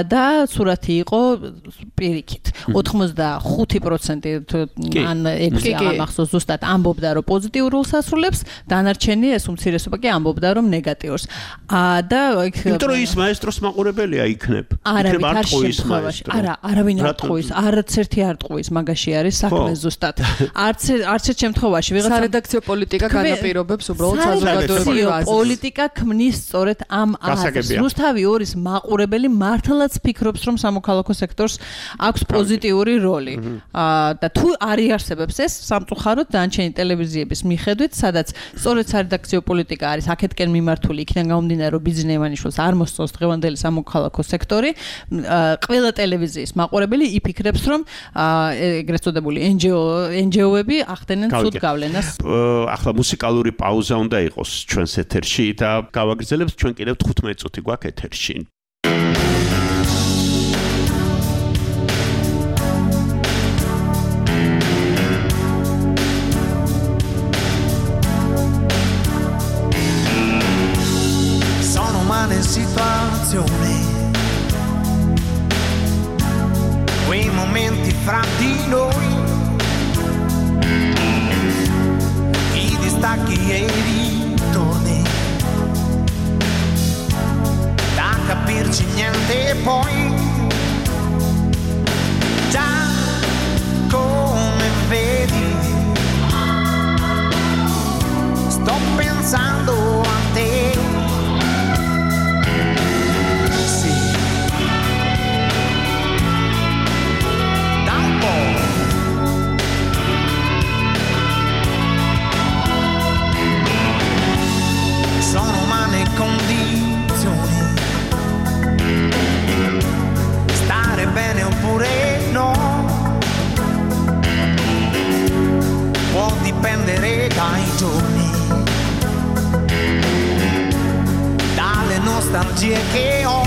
და სურათი იყო პირიქით. ოთხმოცდახუთი პროცენტი ან ექვსი აღამახსოვს ზუსტად ამბობდა, რომ პოზიტიურ როლს ასრულებს, დანარჩენი ეს უმცირესობა კი ამბობდა, რომ ნეგატიურს. და იმიტომ რომ ის მაესტროს მაყურებელია იქნებ. არავინ არ შემთხვევაში. არა, არავინ არ ტყუის, არც ერთი არ ტყუის, მაგაში არის საქმე ზუსტად. არც არც ერთ შემთხვევაში ვიღაცა სარედაქციო პოლიტიკა განაპირობებს უბრალოდ საზოგადოებრივ აზრს. პოლიტიკა ქმნის სწორედ ამ აზრს. რუსთავი ორის მაყურებელი მართლაც ფიქრობს, რომ სამოქალაქო სექტორს აქვს პოზიტიური როლი. და თუ არიარსებებს ეს სამწუხაროდ დანარჩენი ტელევიზიების მიხედვით, სადაც სწორედ სარედაქციო პოლიტიკა არის აქეთკენ მიმართული, იქიდან გამომდინარე, რომ ბიძინა ივანიშვილს არ მოსწონს დღევანდელი სამოქალაქო სექტორი, ყველა ტელევიზიის მაყურებელი იფიქრებს, რომ ეგრეთ წოდებული ენ ჯი ო-ები ახდენენ ცუდ გავლენას. ახლა მუსიკალური პაუზა უნდა იყოს ჩვენს ეთერში და გავაგრძელებთ ჩვენ კიდევ თხუთმეტი წუთი გვაქვს ეთერში. Situazione, quei momenti fra di noi, i distacchi e i ritorni, da capirci niente poi, già come vedi, sto pensando a te. Sono umane condizioni, stare bene oppure no, può dipendere dai giorni, dalle nostalgie che ho,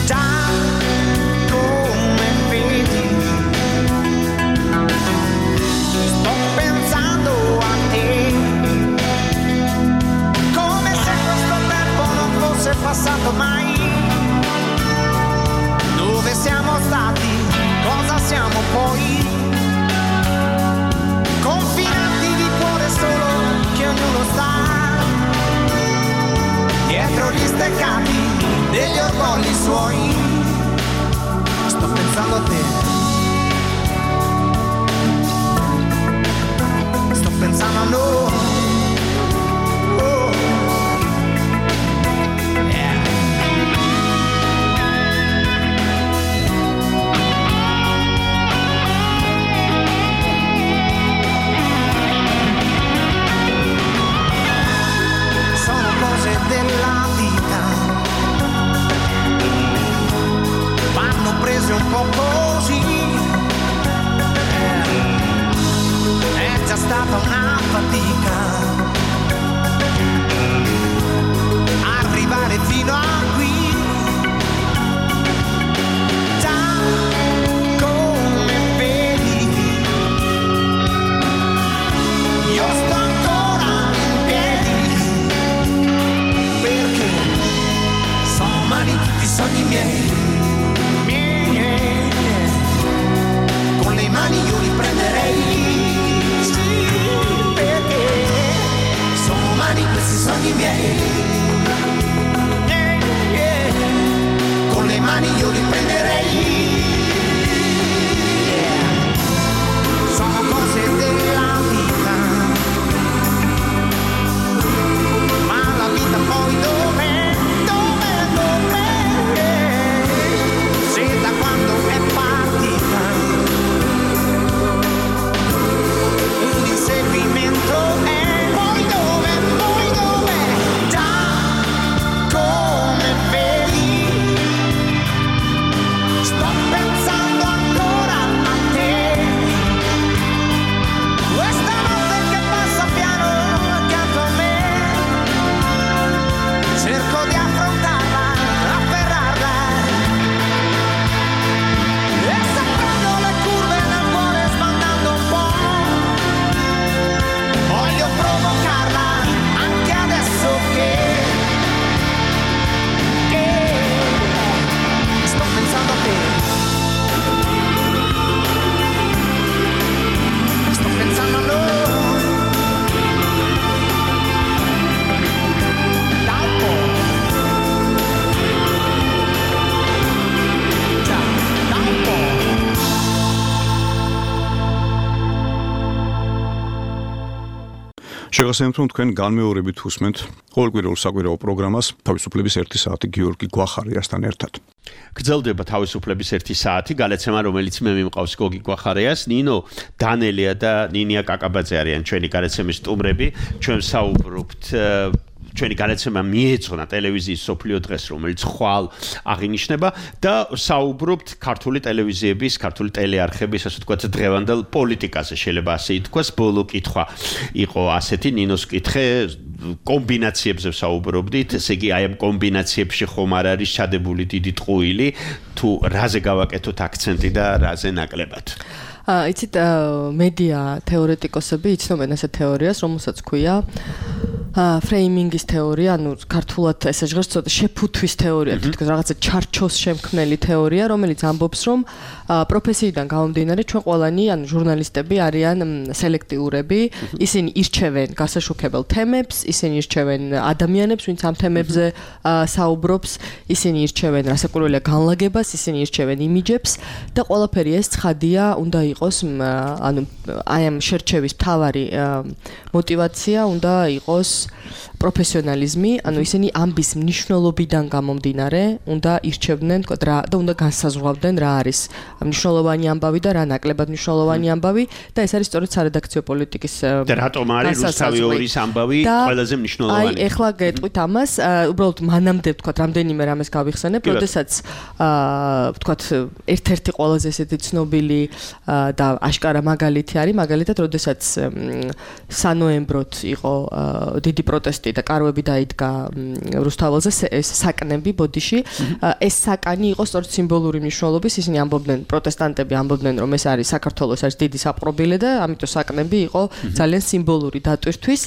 già come vedi, sto pensando a te. È passato mai, dove siamo stati, cosa siamo poi, confinati di cuore solo che ognuno sta, dietro gli steccati degli orgogli suoi, sto pensando a te, sto pensando a noi. Della vita vanno prese un po' così, è già stata una fatica arrivare fino a qui, già come vedi io sto ancora in piedi, perché sono umani tutti i sogni miei, miei, con le mani io li prenderei, sì. შეგახსენებთ, რომ თქვენ განმეორებით უსმენთ ყოველკვირეულ საკვირაო პროგრამას თავისუფლების ერთი საათი გიორგი გვახარიასთან ერთად. გრძელდება თავისუფლების ერთი საათი, გალაცემა, რომელიც მე მიმყავს გოგი გვახარიას, ნინო დანელია და ნინია კაკაბაძე არიან ჩვენი გალაცემის სტუმრები. ჩვენ საუბრობთ ჩვენი განაცემა მიეძღვნა ტელევიზიის სოფლიო დღეს, რომელიც ხვალ აღინიშნება და საუბრობთ ქართული ტელევიზიების, ქართული ტელეარხების, ასე ვთქვათ, დღევანდელ პოლიტიკაზე, შეიძლება ასე ითქვას. ბოლო კითხვა იყო ასეთი, ნინოს კითხე, კომბინაციებზე საუბრობდით, ესე იგი აი ამ კომბინაციებში ხომ არ არის ჩადებული დიდი ტყუილი, თუ რაზე გავაკეთოთ აქცენტი და რაზე ნაკლებად. აა იცით, მედია თეორეტიკოსები იცნობენ ასეთ თეორიას, რომელსაც ქვია ფრეიმინგის თეორია, ანუ ქართულად ესე ჟღერს ცოტა შეფუთვის თეორია, თითქოს რაღაცა ჩარჩოს შემქმნელი თეორია, რომელიც ამბობს, რომ პროფესიიდან გამომდინარე ჩვენ ყველანი, ანუ ჟურნალისტები არიან სელექტიურები, ისინი ირჩევენ გასაშუქებელ თემებს, ისინი ირჩევენ ადამიანებს, ვინც ამ თემებზე საუბრობს, ისინი ირჩევენ რასაკვირველია განლაგებას, ისინი ირჩევენ იმიჯებს და ყველაფერი ეს ცხადია, უნდა იყოს, ანუ აი ამ შერჩევის მთავარი мотивация უნდა იყოს პროფესიონალიზმი, ანუ ისინი ამბის მნიშვნელობიდან გამომდინარე, უნდა ირჩევდნენ, თქო, რა და უნდა განსაზღვრავდნენ რა არის მნიშვნელოვანი ამბავი და რა ნაკლებად მნიშვნელოვანი ამბავი და ეს არის სწორედ სარედაქციო პოლიტიკის და რატომ არის რუსთავი ორის ამბავი ყველაზე მნიშვნელოვანი. აი, ეხლა გეტყვით ამას, უბრალოდ მანამდე, თქო, რამდენიმე რამეს გავიხსენებ, როდესაც თქო, ერთ-ერთი ყველაზე ესეთი ცნობილი და აშკარა მაგალითი არის, მაგალითად, როდესაც სანოემბროთ იყო დიდი პროტესტი და კარვები დაიდგა რუსთაველზე, ეს საკნები ბოდიში, ეს საკანი იყო სწორედ სიმბოლური მნიშვნელობის, ისინი ამბობდნენ, პროტესტანტები ამბობდნენ, რომ ეს არის საქართველოს არის დიდი საპყრობილე და ამიტომ საკნები იყო ძალიან სიმბოლური დატვირთვის.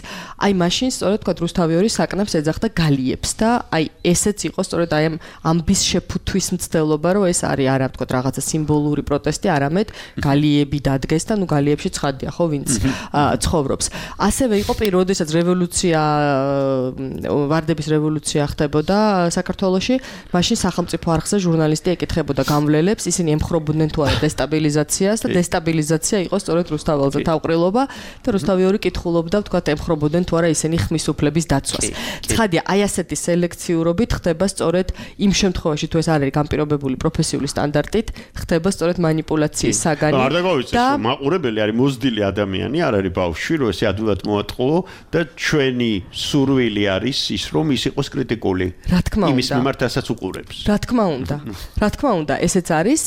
აი მაშინ სწორედ თქვა რუსთავი ორი საკნებს ეძახდა გალიებს და აი ესეც იყო სწორედ აი ამ ამბის შეფუთვის მცდელობა, რომ ეს არის არა თქვა რაღაცა სიმბოლური პროტესტი, არამედ გალიები დადგეს და ნუ გალიებში ცხადია ხო ვინც ცხოვრობს. ასევე იყო პირველ როდესაც რევოლუცია ვარდების რევოლუცია ხდებოდა საქართველოში, მაშინ სახელმწიფო არხზე ჟურნალისტი ეკითხებოდა გამვლელებს, ისინი ემხრობოდნენ თუ არა დესტაბილიზაციას და დესტაბილიზაცია იყო სწორედ რუსთაველზე თავყრილობა და რუსთავი ორი კითხულობდა, თქვათ, ემხრობოდნენ თუ არა ისინი ხმის უფლების დაცვას. ცხადია, აი ასეთი სელექციურობით ხდება სწორედ იმ შემთხვევაში, თუ ეს არ არის განპირობებული პროფესიული სტანდარტით, ხდება სწორედ манипуляციის საგანი. არ დაგავიცეს, მაყურებელი არის მოზრდილი ადამიანი, არ არის ბავშვი, რომ ესე ადვილად მოატყუო და ჩვენი სურვილი არის ის, რომ ის იყოს კრიტიკული. რა თქმა უნდა. იმის მიმართ, რასაც უყურებს. რა თქმა უნდა. რა თქმა უნდა, ესეც არის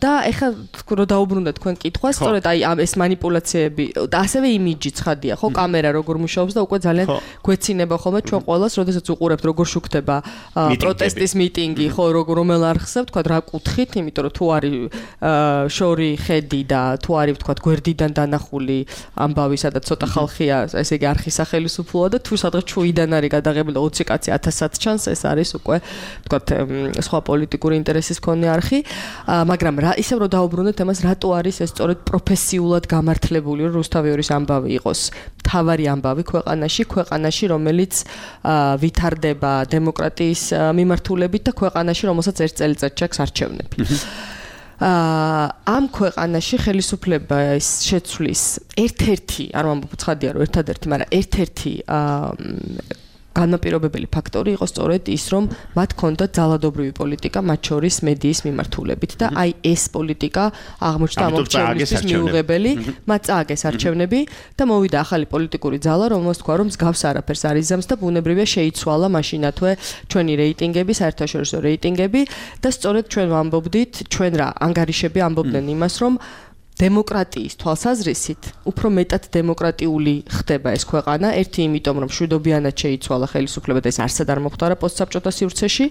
და ეხლა რო დაუბრუნდა თქვენ კითხვას, სწორედ აი ამ ეს манипуляციები და ასევე იმიჯი ცხადია, ხო, კამერა როგორ მუშაობს და უკვე ძალიან გვეცინება ხოლმე ჩვენ ყველას, როდესაც უყურებთ როგორ შუქდება პროტესტის მიტინგი, ხო, როგორ რომელ არხზე, თქვა რა კუთხით, იმიტომ რომ თუ არის შორი ხედი და თუ არის, თქვა, გვერდიდან დანახული ამბავი, სადაც ცოტა ხალხია, ესე იგი არხის სახელმწიფოა და თუ სადღაც ჩუიდან არის გადაღებული ოცი კაცი ათასად ჩანს, ეს არის უკვე, თქვა, სხვა პოლიტიკური ინტერესის მქონე არხი, მაგრამ რა ისევ რომ დაუბრუნდეთ ამას, რატო არის ეს სწორედ პროფესიულად გამართლებული, რომ რუსთავი ორის ამბავი იყოს თავარი ამბავი ქვეყანაში, ქვეყანაში, რომელიც ვითარდება დემოკრატიის მიმართულებით და ქვეყანაში, რომელსაც ერთ წელიწადს ჩაქს არჩევნები. ამ ქვეყანაში ხელისუფლების შეცვლის ერთ-ერთი, არ ვამბობ ცხადია, რომ ერთადერთი, მაგრამ ერთ-ერთი განმაპირობებელი ფაქტორი იყო სწორედ ის, რომ მათ ჰქონდათ ძალადობრივი პოლიტიკა, მათ შორის მედიის მიმართულებით და აი ეს პოლიტიკა აღმოჩნდა ამორჩევლისთვის მიუღებელი, მათ წააგეს არჩევნები და მოვიდა ახალი პოლიტიკური ძალა, რომელსაც თქვა, რომ მსგავს არაფერს არ იზამს და ბუნებრივია შეიცვალა მაშინათვე ჩვენი რეიტინგები, საერთაშორისო რეიტინგები და სწორედ ჩვენ ვამბობდით, ჩვენ რა ანგარიშები ამბობდნენ იმას, რომ დემოკრატიის თვალსაზრისით უფრო მეტად დემოკრატიული ხდება ეს ქვეყანა, ერთი იმიტომ რომ მშვიდობიანად შეიცვალა ხელისუფლება და ეს არსად არ მოხდარა პოსტსაბჭოთა სივრცეში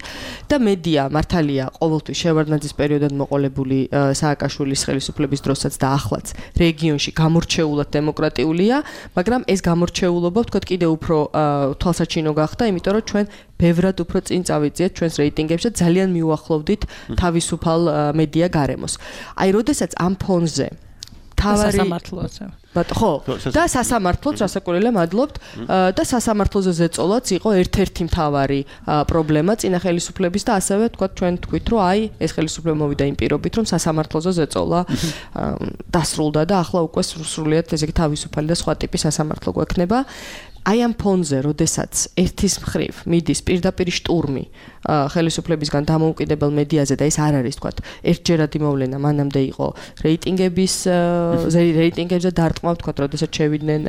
და მედია მართალია ყოველთვის შევარდნაძის პერიოდად მოყოლებული სააკაშვილის ხელისუფლების დროსაც და ახლაც რეგიონში გამორჩეულად დემოკრატიულია, მაგრამ ეს გამორჩეულობა ვთქვათ კიდევ უფრო თვალსაჩინო გახდა, იმიტომ რომ ჩვენ ბევრად უფრო წინ წავიძიეთ ჩვენს რეიტინგებში და ძალიან მიუახლოვდით თავისუფალ მედია გარემოს. აი, როდესაც ამ ფონზე თავარი სასამართლოზე. ბატონო, ხო, და სასამართლოც ასაკურელა მადლობთ და სასამართლოზე ზეწოლაც იყო ერთ-ერთი მთავარი პრობლემა წინა ხელისუფლების და ასევე თქვა ჩვენ თქვით რომ აი ეს ხელისუფლება მოვიდა იმ პირობით რომ სასამართლოზე ზეწოლა დასრულდა და ახლა უკვე სრულიად ესე იგი თავისუფალი და სხვა ტიპის სასამართლო გვექნება. აი ამ ფონზე, როდესაც ერთის მხრივ მიდის პირდაპირ შტურმი ხელისუფლებისგან დამოუკიდებელ მედიაზე და ეს არ არის თქვა ერთჯერადი მოვლენა, მანამდე იყო რეიტინგების რეიტინგებზე დარტყმა თქვა, როდესაც შევიდნენ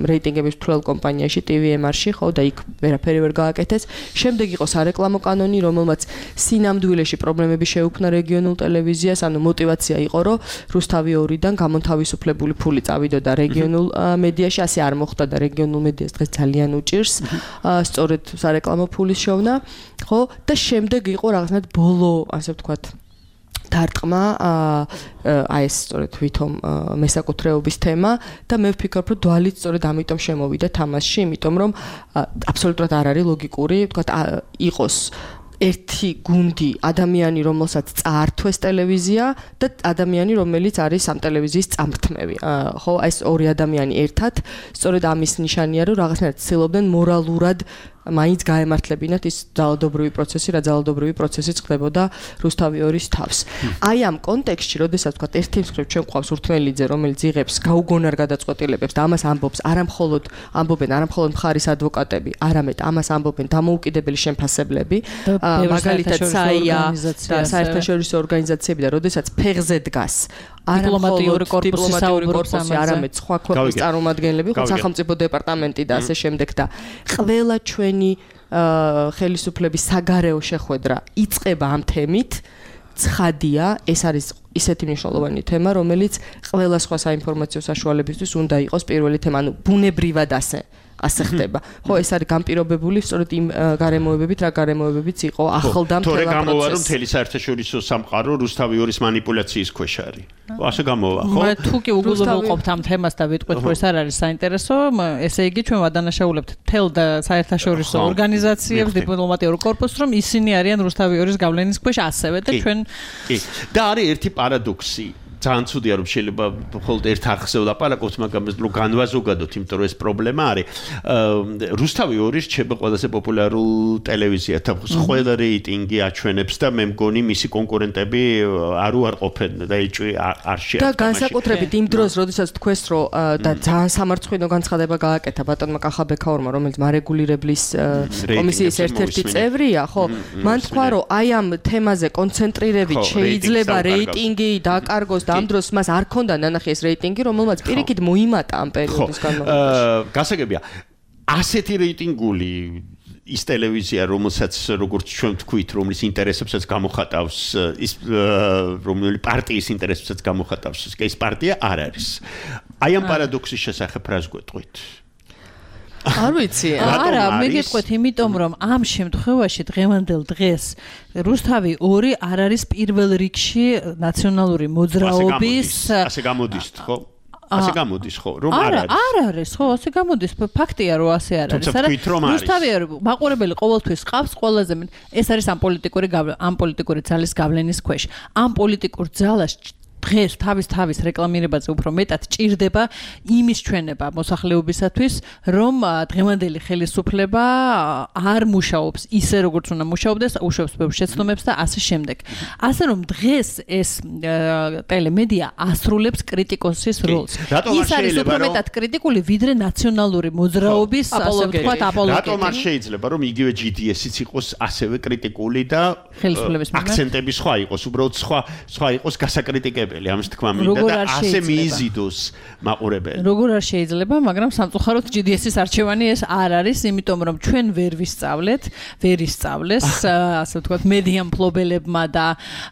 რეიტინგების თვალ კომპანიაში ტი ვი ემ არ-ში, ხო და იქ ვერაფერი ვერ გააკეთეს. შემდეგ იყო სარეკლამო კანონი, რომელმაც სინამდვილეში პრობლემები შეუქმნა რეგიონულ ტელევიზიას, ანუ мотиваცია იყო, რომ რუსთავი ორიდან გამონთავისუფლებული ფული წავიდოდა რეგიონულ მედიაში, ასე არ მოხდა და რეგიონულ მედიას დღეს ძალიან უჭირს სწორედ სარეკლამო ფულის შოვნა, ხო და შემდეგ იყო რაღაცნაირად ბოლო, ასე ვთქვათ, დარტყმა აი ეს სწორედ ვითომ მესაკუთრეობის თემა და მე ვფიქრობ, რომ დვალით სწორედ ამიტომ შემოვიდა თამაშში, იმიტომ რომ აბსოლუტურად არ არის ლოგიკური, ვთქვათ, იყოს ერთი გუნდი ადამიანი, რომელსაც წაართვეს ტელევიზია და ადამიანი, რომელიც არის ამ ტელევიზიის წამრთმევი. ხო, აი ეს ორი ადამიანი ერთად, სწორედ ამის ნიშანია, რომ რაღაცნაირად ცდილობდნენ მორალურად მაინც გაემართლებინათ ის ძალადობრივი პროცესი, რა ძალადობრივი პროცესი წყდებოდა რუსთავი ორის თავს. აი ამ კონტექსტში, როდესაც ვთქვათ, ერთი მხრივ ჩვენ გვყავს ურთმელიძე, რომელიც იღებს გაუგონარ გადაწყვეტილებებს და ამას ამბობს, არამხოლოდ ამბობენ, არამხოლოდ მხარის ადვოკატები, არამედ ამას ამბობენ დამოუკიდებელი შემფასებლები, მაგალითად საია და საერთაშორისო ორგანიზაციები და როდესაც ფეხზე დგას დიპლომატიური კორპუსი საუბრობს ამაზე, არამედ სხვა ქვეყნის წარმომადგენლები, ხო სახელმწიფო დეპარტამენტი და ასე შემდეგ და ყველა ჩვენი ხელისუფლების საგარეო შეხვედრა იწყება ამ თემით. ცხადია, ეს არის ისეთი მნიშვნელოვანი თემა, რომელიც ყველა სხვა საინფორმაციო საშუალებისთვის უნდა იყოს პირველი თემა, ანუ ბუნებრივად ასე ასე ხდება. ხო, ეს არის განპირობებული სწორედ იმ გარემოებებით, რა გარემოებებიც იყო ახლდა მთელ პროცესს. თორე გამოვა, რომ პროცესს. მთელი საერთაშორისო სამყარო რუსთავი ორის манипуляციის ქვეშ არის. ასე გამოვა, ხო? მე თუ კი უგულობელ რუსთავი- ყოფთ ამ თემას და ვიტყვით, რომ ეს არ არის საინტერესო, ესე იგი ჩვენ ვადანაშაულებთ თელ და საერთაშორისო ხო, ორგანიზაციებს, მივხვდი. დიპლომატიურ კორპუსს, რომ ისინი არიან რუსთავი ორის გავლენის ქვეშ ასევე და კი, ჩვენ კი. და არის ერთი პარადოქსი. ძალიან ცუდია რომ შეიძლება მხოლოდ ერთ არხზე ვლაპარაკოთ, მაგრამ რომ განვაზოგადოთ, იმიტომ რომ ეს პრობლემა არის. რუსთავი ორი რჩება ყველაზე პოპულარულ ტელევიზიად. ყველა რეიტინგი აჩვენებს და მე მგონი მისი კონკურენტები არ უარყოფენ და ეჭვი არ შეაჩერებს. და განსაკუთრებით იმ დროს, როდესაც თქვეს, რომ და ძალიან სამარცხვინო განცხადება გააკეთა ბატონმა კახაბექაურმა, რომელიც მარეგულირებლის კომისიის ერთ-ერთი წევრია, ხო? მან თქვა, რომ აი ამ თემაზე კონცენტრირებით შეიძლება რეიტინგი დაკარგოს და ამ დროს მას არ ქონდა ნანახი ეს რეიტინგი, რომელმაც პირიქით მოიმატა ამ პერიოდის განმავლობაში. გასაგებია, ასეთი რეიტინგული ის ტელევიზია, რომელსაც როგორც ჩვენ ვთქვით, რომლის ინტერესებსაც გამოხატავს, ის რომელი პარტიის ინტერესებსაც გამოხატავს, ეს პარტია არ არის. აი ამ პარადოქსის შესახებ რას გვეტყვით? არ ვიცი, არა, მე გეტყვით, იმიტომ რომ ამ შემთხვევაში დღევანდელ დღეს რუსთავი ორი არ არის პირველ რიგში ნაციონალური მოძრაობის ასე გამოდის, ხო? ასე გამოდის, ხო? რომ არ არა, არის. არ არის, ხო, ასე გამოდის. ფაქტია, რომ ასე არ არის. თუმცა ვთქვით, რომ არის. რუსთავი მაყურებელი ყოველთვის ყავს ყველაზე მეტ. ეს არის ამ პოლიტიკური ამ პოლიტიკური ძალის გავლენის ქვეშ. ამ პოლიტიკურ ძალას დღეს თავის თავის რეკლამირებაზე უფრო მეტად ჭირდება იმის ჩვენება მოსახლეობისათვის, რომ დღევანდელი ხელისუფლება არ მუშაობს ისე როგორც უნდა მუშაობდეს, უშვებს ბევრ შეცდომებს და ასე შემდეგ. ასე რომ დღეს ეს ტელემედია ასრულებს კრიტიკოსის როლს. ის არის უფრო მეტად კრიტიკული ვიდრე ნაციონალური მოძრაობის, ასე ვთქვათ, აპოლოგეტი. რატომ არ შეიძლება რომ იგივე ჯი დი ესი-ც იყოს ასევე კრიტიკული და ხელისუფლების მიმართ აქცენტები სხვა იყოს, უბრალოდ სხვა სხვა იყოს გასაკრიტიკებელი. ამის თქმა მინდა და ასე მიიზიდოს მაყურებელი. როგორ არ შეიძლება, მაგრამ სამწუხაროდ ჯი დი ესი-ის არჩევანი ეს არ არის, იმიტომ რომ ჩვენ ვერ ვისწავლეთ, ვერ ისწავლეს, ასე ვთქვათ, მედია მფლობელებმა და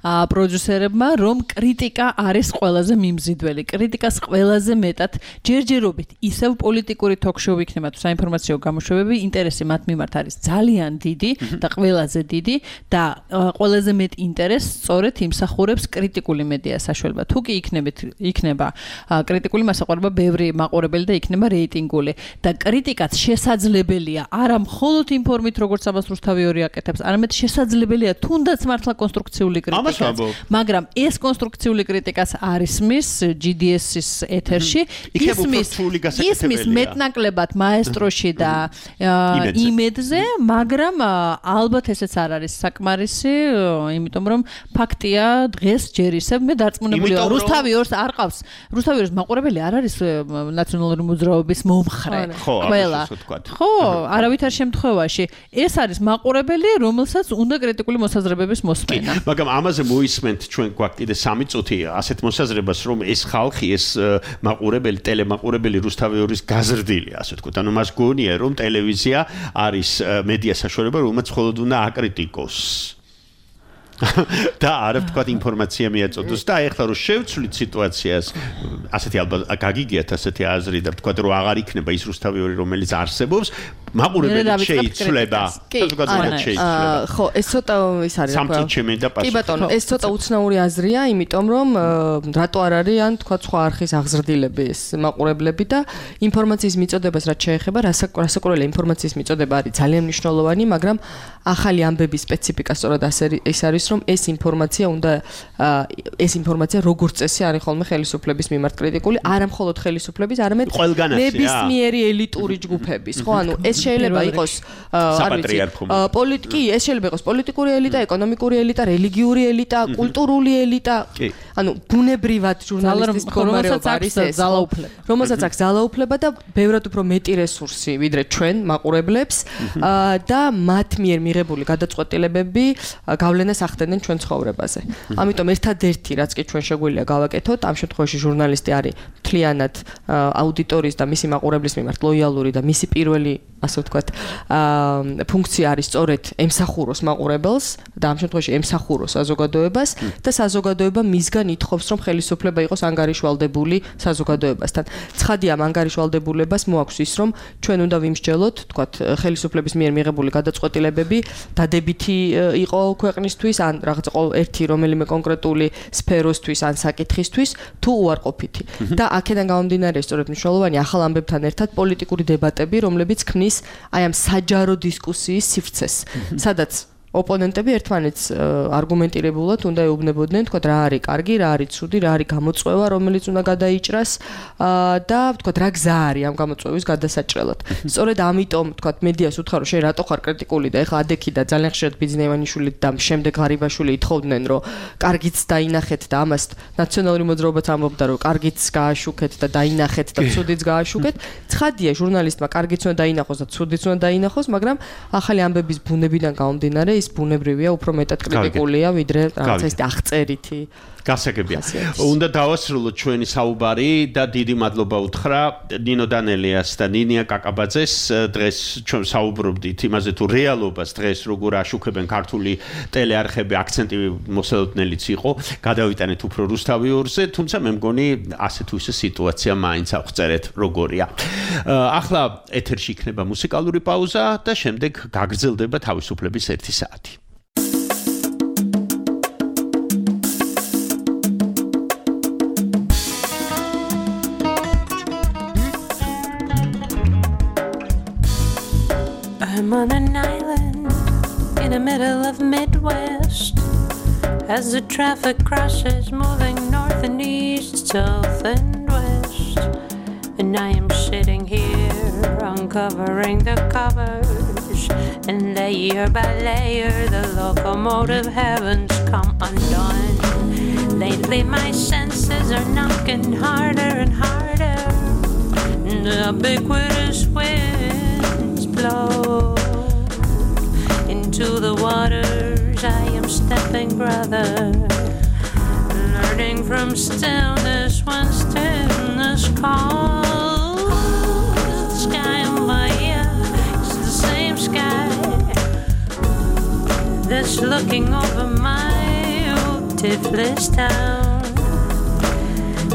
პროდიუსერებმა, რომ კრიტიკა არის ყველაზე მიმზიდველი. კრიტიკას ყველაზე მეტად ჯერჯერობით ისევ პოლიტიკური ток-შოუ იქნება თუ საინფორმაციო გამოშვებები, ინტერესი მათ მიმართ არის ძალიან დიდი და ყველაზე დიდი და ყველაზე მეტ ინტერესს სწორედ იმსახურებს კრიტიკული მედია საშუალება. საშუალება. თუ კი იქნებით იქნება კრიტიკული მასაყურება ბევრი მაყურებელი და იქნება რეიტინგული და კრიტიკაც შესაძლებელია არა მხოლოდ იმ ფორმით როგორც ამას რუსთავი ორი აკეთებს, არამედ შესაძლებელია თუნდაც მართლა კონსტრუქციული კრიტიკაც. მაგრამ ეს კონსტრუქციული კრიტიკაც არ ისმის ჯი დი ეს-ის ეთერში, ისმის მეტნაკლებად მაესტროში და იმედზე, მაგრამ ალბათ ესეც არ არის საკმარისი, იმიტომ რომ ფაქტია დღეს ჯერ ისევ მე დარწმუნებულია რუსთავი ორს არ ყავს. რუსთავი ორს მაყურებელი არ არის ნაციონალური მოძრაობის მომხრე. ყველა. ხო, არავითარ შემთხვევაში ეს არის მაყურებელი, რომელსაც უნდა კრიტიკული მოსაზრებების მოსმენა. მაგრამ ამაზე მოისმენთ ჩვენ გვაქვს კიდე სამი წუთი ასეთ მოსაზრებას, რომ ეს ხალხი, ეს მაყურებელი, ტელემაყურებელი რუსთავი ორის გაზრდილია, ასე ვთქვათ. ანუ მას გონია, რომ ტელევიზია არის მედია საშუალება, რომელსაც მხოლოდ უნდა აკრიტიკოს. და არ ვთქვათ ინფორმაცია მიაწოდოს და ეხლა რომ შევცვლით სიტუაციას, ასეთი ალბათ გაგიგიათ ასეთი აზრი და ვთქვათ რომ აღარ იქნება ის რუსთავი ორი რომელიც არსებობს, მაყურებელი შეიცვლება. ხო, ეს ცოტა ის არის რა. კი ბატონო, ეს ცოტა უცნაური აზრია, იმიტომ რომ რატო არ არის ან თქვა სხვა არხის აღზრდილები ეს მაყურებლები და ინფორმაციის მიწოდებას რაც შეეხება, რასაკვირველია ინფორმაციის მიწოდება არის ძალიან მნიშვნელოვანი, მაგრამ ახალი ამბების სპეციფიკა სწორად ეს არის, რომ ეს ინფორმაცია უნდა ეს ინფორმაცია როგორც წესი არის ხოლმე ხელისუფლების მიმართ კრიტიკული, არა მხოლოდ ხელისუფლების, არამედ ნებისმიერი ელიტური ჯგუფების, ხო, ანუ ეს შეიძლება იყოს არ ვიცი, პოლიტიკი, ეს შეიძლება იყოს პოლიტიკური ელიტა, ეკონომიკური ელიტა, რელიგიური ელიტა, კულტურული ელიტა, ანუ ბუნებრივად ჟურნალისტის მდგომარეობა არის ეს, რომელსაც აქვს ძალაუფლება და ბევრად უფრო მეტი რესურსი ვიდრე ჩვენ მაყურებლებს და მათ მიერ მიღებული გადაწყვეტილებები გავლენას ახდენენ ჩვენ ცხოვრებაზე. ამიტომ ერთადერთი რაც კი ჩვენ შეგვიძლია გავაკეთოთ, ამ შემთხვევაში ჟურნალისტი არის მთლიანად აუდიტორიის და მისი მაყურებლის მიმართ ლოიალური და მისი პირველი, ასე ვთქვათ, ფუნქცია არის სწორედ ემსახუროს მაყურებელს და ამ შემთხვევაში ემსახუროს საზოგადოებას და საზოგადოება მისგან ითხოვს, რომ ხელისუფლება იყოს ანგარიშვალდებული საზოგადოებასთან. ცხადია, ამ ანგარიშვალდებულებას მოაქვს ის, რომ ჩვენ უნდა ვიმსჯელოთ, ვთქვათ, ხელისუფლების მიერ მიღებული გადაწყვეტილებები დადებითი იყო ქვეყნისთვის ან რაღაც ერთი რომელიმე კონკრეტული სფეროსთვის ან საკითხისთვის თუ უარყოფითი. და აქედან გამომდინარე სწორედ მნიშვნელოვანი ახალ ამბებთან ერთად პოლიტიკური დებატები, რომლებიც ქმნის აი ამ საჯარო დისკუსიის სივრცეს, სადაც ოპონენტები ერთმანეთს არგუმენტირებულად უნდა ეუბნებოდნენ, თქვა რა არის კარგი, რა არის ცუდი, რა არის გამოწვევა, რომელიც უნდა გადაიჭრას და თქვა რა გზა არის ამ გამოწვევის გადასაჭრელად. სწორედ ამიტომ თქვა მედიას უთხარ რომ შენ რატო ხარ კრიტიკული და ეხლა ადექი და ძალიან ხშირად ბიძინევანიშვილი და შემდეგ ღარიბაშვილი ითხოვდნენ რომ კარგიც დაინახეთ და ამას ნაციონალური მოძრაობაც ამბობდა რომ კარგიც გააშუქეთ და დაინახეთ და ცუდიც გააშუქეთ. ცხადია ჟურნალისტმა კარგიც უნდა დაინახოს და ცუდიც უნდა დაინახოს, მაგრამ ახალი ამბების ბუნებიდან გამომდინარე ის ბუნებრივია, უფრო მეტად კრიტიკულია, ვიდრე რაღაც ეს აღწერითი. გასაგებია. უნდა დავასრულოთ ჩვენი საუბარი და დიდი მადლობა უთხრა ნინო დანელიას და ნინია კაკაბაძეს. დღეს ჩვენ საუბრობდით იმაზე თუ რეალობას დღეს როგორ აშუქებენ ქართული ტელეარხები, აქცენტი მოსალოდნელიც იყო. გადავიტანეთ უფრო რუსთავი ორზე, თუმცა მე მგონი ასე თუ ისე სიტუაცია მაინც აღწერეთ როგორია. ახლა ეთერში იქნება მუსიკალური პაუზა და შემდეგ გაგრძელდება თავისუფლების ერთი საათი. I'm on an island in the middle of Midwest as the traffic crosses moving north and east, south and west. And I am sitting here uncovering the covers, and layer by layer the locomotive heavens come undone. Lately my senses are knocking harder and harder. The ubiquitous winds blow into the waters. I am stepping, brother, learning from stillness when stillness calls. The sky on fire is the same sky that's looking over my Tiflis town,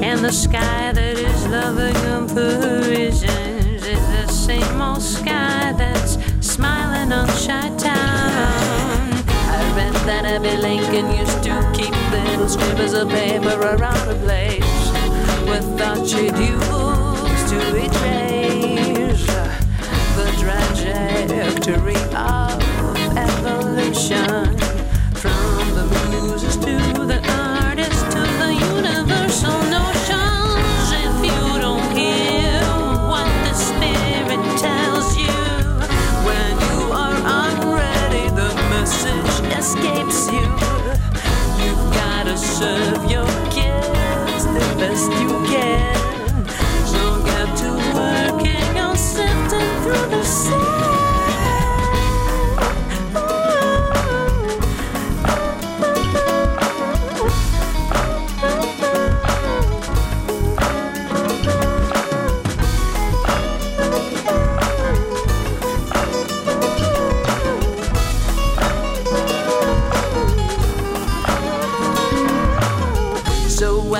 and the sky that is loving on Parisians is the same old sky that's smiling on Chi-Town. I read that Abbey Lincoln used to keep the little scribbles of paper around the place without she'd use to erase the trajectory of evolution from the muses to the artists to the universal notions. If you don't hear what the spirit tells you when you are unready, the message escapes you. You've gotta serve your kids the best you can. So get to working on sifting through the sand.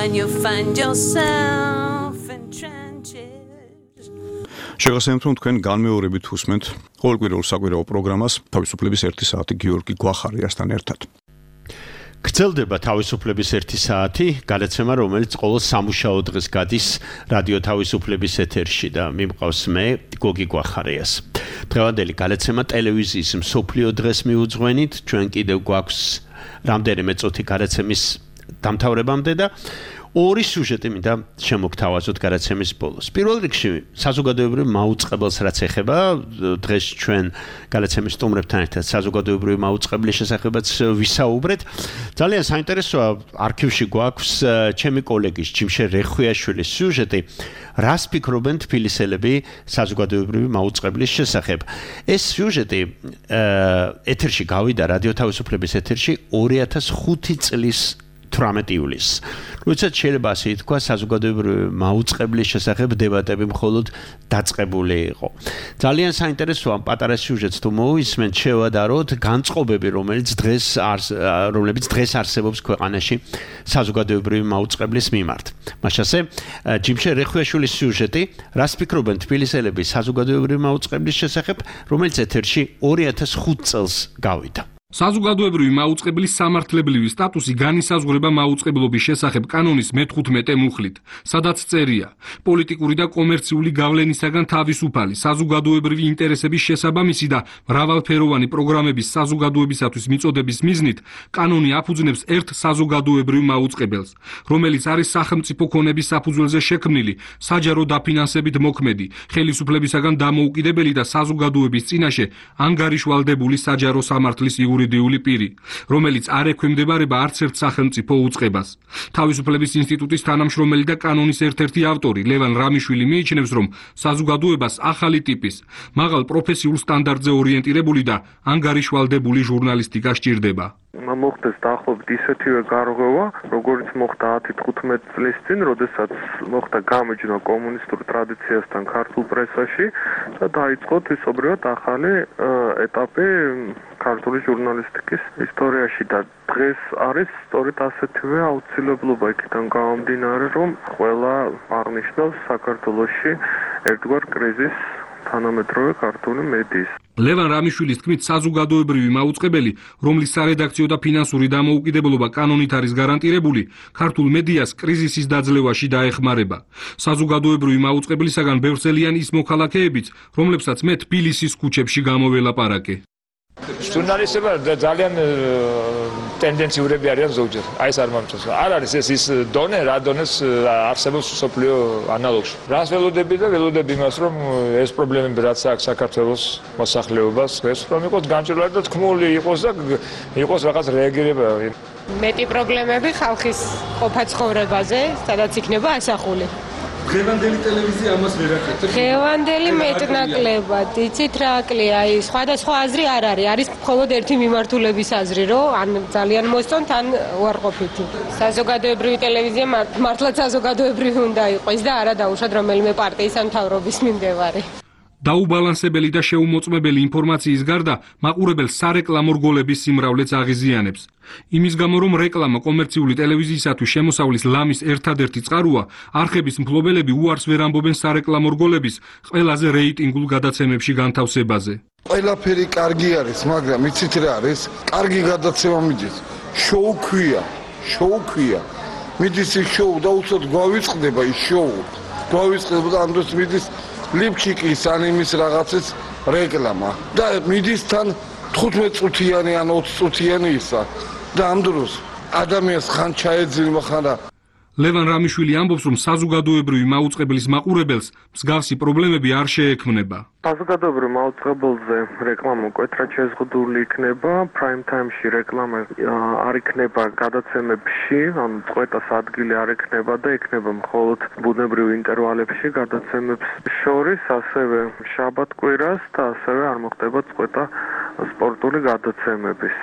When you find yourself in trenches. შეგახსენებთ, რომ თქვენ განმეორებით უსმენთ ყოველკვირეულ საკვირაო პროგრამას თავისუფლების ერთი საათი გიორგი გვახარიასთან ერთად. გრძელდება თავისუფლების ერთი საათი, გადაცემა, რომელიც ყოველ სამუშაო დღეს გადის რადიო თავისუფლების ეთერში და მიმყავს მე, გოგი გვახარიას. დღევანდელი გადაცემა ტელევიზიის მსოფლიო დღეს მიუძღვენით, ჩვენ კიდევ გვაქვს რამდენიმე წუთი გადაცემის დამთავრებამდე და ორი სიუჟეტი მინდა შემოგთავაზოთ გადაცემის ბოლოს. პირველ რიგში საზოგადოებრივ მაუწყებელს რაც ეხება, დღეს ჩვენ გადაცემის სტუმრებთან ერთად საზოგადოებრივ მაუწყებლის შესახებაც ვისაუბრეთ. ძალიან საინტერესოა, არქივში გვაქვს ჩემი კოლეგის ჯიმშე რეხვიაშვილის სიუჟეტი, რას ფიქრობენ თბილისელები საზოგადოებრივი მაუწყებლის შესახებ. ეს სიუჟეტი ეთერში გავიდა, რადიო თავისუფლების ეთერში ორი ათას ხუთი წლის თვრამეტი ივლისს. როდესაც შეიძლება ასე ითქვა, საზოგადოებრივი მაუწყებლის შესახებ დებატები მხოლოდ დაწყებული იყო. ძალიან საინტერესოა ამ პატარა სიუჟეტს თუ მოვისმენთ, შევადაროთ განწყობები, რომელიც დღეს რომლებიც დღეს არსებობს ქვეყანაში საზოგადოებრივი მაუწყებლის მიმართ. მაშასე, ჯიმშე რეხვიაშვილის სიუჟეტი, რას ფიქრობენ თბილისელები საზოგადოებრივი მაუწყებლის შესახებ, რომელიც ეთერში ორი ათას ხუთი წელს გავიდა. საზოგადოებრივი მაუწყებლის სამართლებრივი სტატუსი განისაზღვრება მაუწყებლობის შესახებ კანონის მეთხუთმეტე მუხლით, სადაც წერია: პოლიტიკური და კომერციული გავლენისაგან თავისუფალი, საზოგადოებრივი ინტერესების შესაბამისი და მრავალფეროვანი პროგრამების საზოგადოებისათვის მიწოდების მიზნით, კანონი აფუძნებს ერთ საზოგადოებრივ მაუწყებელს, რომელიც არის სახელმწიფო ქონების საფუძველზე შექმნილი, საჯარო დაფინანსებით მოქმედი, ხელისუფლებისაგან დამოუკიდებელი და საზოგადოების წინაშე ანგარიშვალდებული საჯარო სამართლის იურიდიული პირი, რომელიც არ ექვემდებარება არც ერთ სახელმწიფო უწყებას. თავისუფლების ინსტიტუტის თანამშრომელი და კანონის ერთ-ერთი ავტორი ლევან რამიშვილი მიიჩნევს, რომ საზოგადოებას ახალი ტიპის, მაღალ პროფესიულ სტანდარტზე ორიენტირებული და ანგარიშვალდებული ჟურნალისტიკა სჭირდება. მოხდეს დაახლოებით ისეთივე გარღვევა, როგორც მოხდა ათი თხუთმეტი წლის წინ, როდესაც მოხდა გამეჯნა კომუნისტურ ტრადიციასთან ქართულ პრესაში და დაიწყო თვისობრივად ახალი ეტაპი ქართული ჟურნალისტიკის ისტორიაში და დღეს არის სწორედ ასეთივე აუცილებლობა იქიდან გამომდინარე, რომ ყველა აღნიშნავს საქართველოში ერთგვარ კრიზისს თანამედროვე ქართული მედიის. ლევან რამიშვილის თქმით, საზოგადოებრივი მაუწყებელი, რომლის სარედაქციო და ფინანსური დამოუკიდებლობა კანონით არის გარანტირებული, ქართულ მედიას კრიზისის დაძლევაში დაეხმარება. საზოგადოებრივი მაუწყებლისაგან ბევრსელიან ის მოქალაქეებიც, რომლებსაც მე თბილისის ქუჩებში გამოველაპარაკე. ჟურნალისტები ძალიან ტენდენციურები არიან ზოგჯერ. აი ეს არ მომწონს. არ არის ეს ის დონე, რა დონეს არსებობს სოფლიო ანალოგში. რას ველოდები და ველოდები იმას, რომ ეს პრობლემები რაც აქვს საქართველოს მოსახლეობას, ეს რომ იყოს განჭირველი და თქმული იყოს და იყოს რაღაც რეაგირება. მეტი პრობლემები ხალხის ყოფა ცხოვრებაზე, სადაც იქნება ასახული. დღევანდელი ტელევიზია ამას ვერ აკეთებს. დღევანდელი მეტნაკლებად, იცით რა აკლია, აი სხვადასხვა აზრი არ არის, არის მხოლოდ ერთი მიმართულების აზრი, რომ ან ძალიან მოსწონთ, ან უარყოფითი. საზოგადოებრივი ტელევიზია მართლაც საზოგადოებრივი უნდა იყოს და არა დაუშვათ რომელიმე პარტიის ან მთავრობის მიმდევარი. დაუბალანსებელი და შეუმოწმებელი ინფორმაციის გარდა მაყურებელს სარეკლამო რგოლების სიმრავლეც აღიზიანებს. იმის გამო, რომ რეკლამა კომერციული ტელევიზიისათვის შემოსავლის ლამის ერთადერთი წყაროა, არხების მფლობელები უარს ვერ ამბობენ სარეკლამო რგოლების ყველაზე რეიტინგულ გადაცემებში განთავსებაზე. ყველაფერი კარგი არის, მაგრამ იცით რა არის? კარგი გადაცემა მიდის. შოუ ქვია. შოუ ქვია. მიდის ის შოუ და უცოდ გვავიწყდება ის შოუ. გვავიწყდება და ამ დროს მიდის ლიფჩიკის ან იმის რაღაცის რეკლამა და მიდის თან თხუთმეტ წუთიანი ან ოცი წუთიანი ისა და ამ დროს ადამიანს ხან ჩაეძინება ხან რა ლევან რამიშვილი ამბობს, რომ საზოგადოებრივი მაუწყებლის მაყურებელს მსგავსი პრობლემები არ შეექმნება. საზოგადოებრივ მაუწყებელზე რეკლამა მკვეთრად შეზღუდული იქნება, prime time-ში რეკლამა არ იქნება გადაცემებში, ანუ წყვეტას ადგილი არ ექნება და ექნება მხოლოდ ბუნებრივ ინტერვალებში გადაცემებს შორის, ასევე შაბათ-კვირას და ასევე არ მოხდება წყვეტა სპორტული გადაცემების.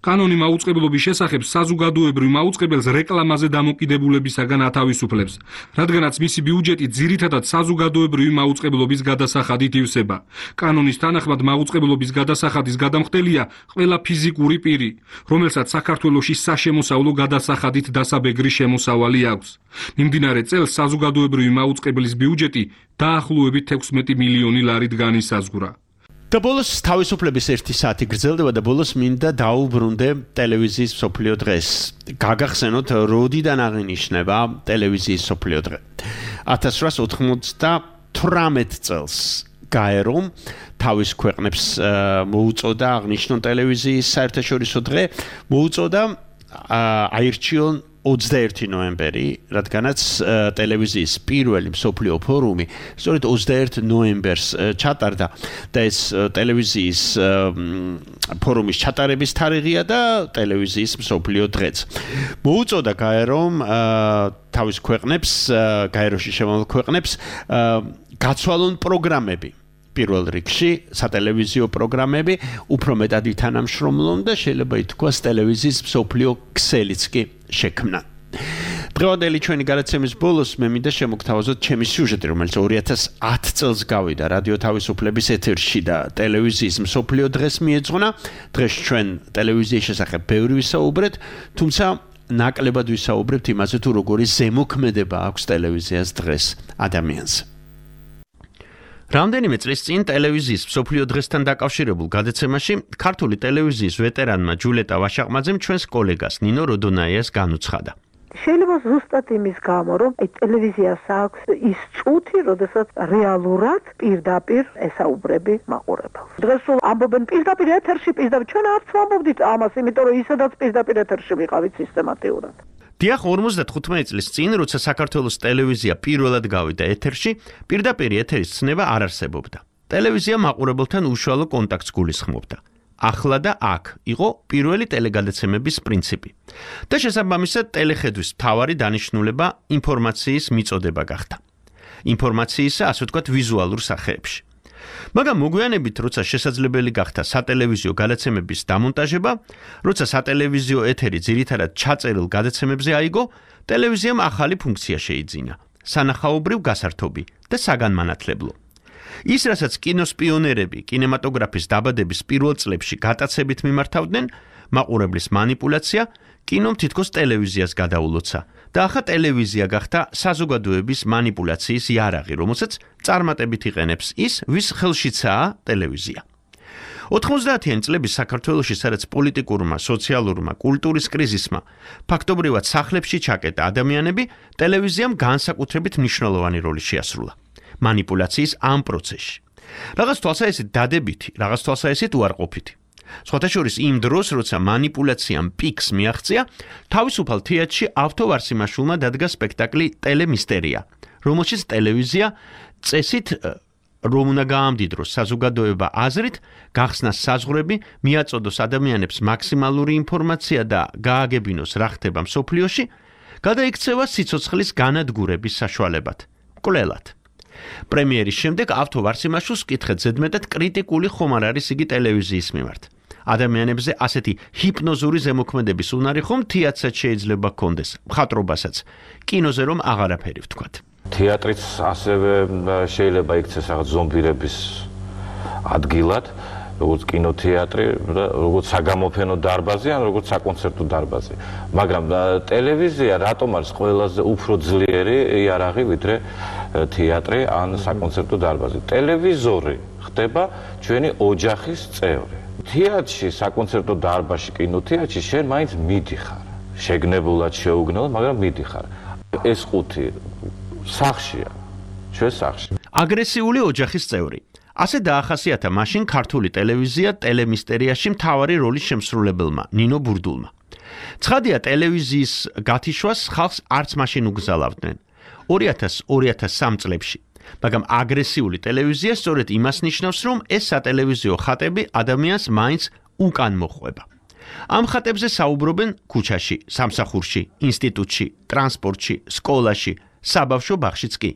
კანონი მაუწყებლობის შესახებ საზოგადოებრივ მაუწყებელს რეკლამაზე დამოკიდებულებისაგან ათავისუფლებს, რადგანაც მისი ბიუჯეტი ძირითადად საზოგადოებრივი მაუწყებლობის გადასახადით ივსება. კანონის თანახმად მაუწყებლობის გადასახადის გადამხდელია ყველა ფიზიკური პირი, რომელსაც საქართველოში საშემოსავლო გადასახადით დასაბეგრი შემოსავალი აქვს. მიმდინარე წელს საზოგადოებრივი მაუწყებლის ბიუჯეტი დაახლოებით ექვსმეტი მილიონი ლარით განისაზღვრა. და ბოლოს თავისუფლების ერთი საათი გრძელდება და ბოლოს მინდა დაუბრუნდე ტელევიზიის მსოფლიო დღეს. გაგახსენოთ, როდიდან აღინიშნება ტელევიზიის მსოფლიო დღე. ათას რვაასი ოთხმოცდათვრამეტ წელს გაერომ თავის ქვეყნებს მოუწოდა აღნიშნონ ტელევიზიის საერთაშორისო დღე, მოუწოდა აირჩიონ ოცდაერთი ნოემბერი, რადგანაც ტელევიზიის პირველი მსოფლიო ფორუმი სწორედ ოცდაერთ ნოემბერს ჩატარდა და ეს ტელევიზიის ფორუმის ჩატარების თარიღია და ტელევიზიის მსოფლიო დღეც. მოუწოდა გაერომ თავის ქვეყნებს, გაეროში შემავალ ქვეყნებს გაცვალონ პროგრამები. პირველ რიგში სატელევიზიო პროგრამები უფრო მეტად ითანამშრომლონ და შეიძლება ითქვას ტელევიზიის მსოფლიო ქსელიც კი შექმნა. დღევანდელი ჩვენი გადაცემის ბოლოს მე მინდა შემოგთავაზოთ ჩემი სიუჟეტი, რომელიც ორი ათას ათი წელს გავიდა რადიო თავისუფლების ეთერში და ტელევიზიის მსოფლიო დღეს მიეძღვნა. დღეს ჩვენ ტელევიზიის შესახებ ბევრი ვისაუბრეთ, თუმცა ნაკლებად ვისაუბრებთ იმაზე თუ როგორი ზემოქმედება აქვს ტელევიზიას დღეს ადამიანს. რამდენიმე წლის წინ ტელევიზიის მსოფლიო დღესთან დაკავშირებულ გადაცემაში ქართული ტელევიზიის ვეტერანმა ჯულეტა ვაშაყმაძემ ჩვენს კოლეგას ნინო როდონაიას განუცხადა. შეიძლება ზუსტად იმის გამო, რომ აი ტელევიზიას აქვს ის წუთი, როდესაც რეალურად პირდაპირ ესაუბრები მაყურებელს. დღეს სულ ამბობენ პირდაპირ ეთერში, პირდაპირ ჩვენ არც ვამბობდით ამას, იმიტომ რომ ისედაც პირდაპირ ეთერში ვიყავით სისტემატიურად. დიახ, ორმოცდათხუთმეტი წლის წინ, როცა საქართველოს ტელევიზია პირველად გავიდა ეთერში, პირდაპირ ეთერის ცნება არ არსებობდა. ტელევიზია მაყურებელთან უშუალო კონტაქტს გულისხმობდა. ახლა და აქ იყო პირველი ტელეგადაცემების პრინციპი. და შესაბამისად ტელეხედვის მთავარი დანიშნულება ინფორმაციის მიწოდება გახდა. ინფორმაციისა, ასე ვთქვათ, ვიზუალურ სახეებში. მაგრამ მოგვიანებით, როცა შესაძლებელი გახდა სატელევიზიო გადაცემების დამონტაჟება, როცა სატელევიზიო ეთერი ძირითადად ჩაწერილ გადაცემებზე აიგო, ტელევიზიამ ახალი ფუნქცია შეიძინა: სანახაობრივ გასართობი და საგანმანათლებლო. ის, რასაც კინოს პიონერები კინემატოგრაფის დაბადების პირველ წლებში გატაცებით მიმართავდნენ, მაყურებლის манипуляცია, კინომ თითქოს ტელევიზიას გადაულოცა და ახლა ტელევიზია გახდა საზოგადოების манипуляციის იარაღი, რომელსაც წარმატებით იყენებს ის, ვის ხელშიცაა ტელევიზია. ოთხმოცდაათიანი წლების საქართველოში, სადაც პოლიტიკურმა, სოციალურმა, კულტურის კრიზისმა ფაქტობრივად სახლებში ჩაკეტა ადამიანები, ტელევიზიამ განსაკუთრებით მნიშვნელოვანი როლი შეასრულა манипуляციის ამ პროცესში. რაღაც თვალსაჩინო დადებითი, რაღაც თვალსაჩინო უარყოფითი. სხვათა შორის იმ დროს, როცა манипуляციამ პიკს მიაღწია, თავისუფალ თეატრში ავთოვარსიმაშვილმა დადგა სპექტაკლი ტელემისტერია, რომელშიც ტელევიზია წესით რომ უნდა გაამდიდროს საზოგადოება აზრით, გახსნას საზღვრები, მიაწოდოს ადამიანებს მაქსიმალური ინფორმაცია და გააგებინოს რა ხდება მსოფლიოში, გადაიქცევა სიცოცხლის განადგურების საშუალებად, კვლელად. პრემიერის შემდეგ ავთოვარსიმაშვილს კითხეთ ზედმეტად კრიტიკული ხომ არ არის იგი ტელევიზიის მიმართ. ადამიანებზე ასეთი ჰიპნოზური ზემოქმედების უნარი ხომ თეატრსაც შეიძლება ჰქონდეს, მხატვრობასაც, კინოზე რომ აღარაფერი ვთქვათ. თეატრიც ასევე შეიძლება იქცეს რაღაც ზომბირების ადგილად, როგორც კინოთეატრი, როგორც საგამოფენო დარბაზი, ან როგორც საკონცერტო დარბაზი. მაგრამ ტელევიზია რატომ არის ყველაზე უფრო ძლიერი იარაღი, ვიდრე თეატრი ან საკონცერტო დარბაზი? ტელევიზორი ხდება ჩვენი ოჯახის წევრი. თეატრში, საკონცერტო დარბაზში, კინოთეატრში შენ მაინც მიდიხარ. შეგნებულად შეუგნებლად, მაგრამ მიდიხარ. ეს ყუთი სახშია, ჩვენ სახში. აგრესიული ოჯახის წევრი. ასე დაახასიათა მაშინ ქართული ტელევიზია ტელემისტერიაში მთავარი როლის შემსრულებელმა ნინო ბურდულმა. ცხადია ტელევიზიის გათიშვას ხალხს არც მაშინ უგზალავდნენ ორი ათას ორი ათას სამ წლებში. მაგრამ აგრესიული ტელევიზია სწორედ იმას ნიშნავს, რომ ეს სატელევიზიო ხატები ადამიანს მაინც უკან მოხვება. ამ ხატებზე საუბრობენ ქუჩაში, სამსახურში, ინსტიტუტში, ტრანსპორტში, სკოლაში, საბავშვო ბაღშიც კი.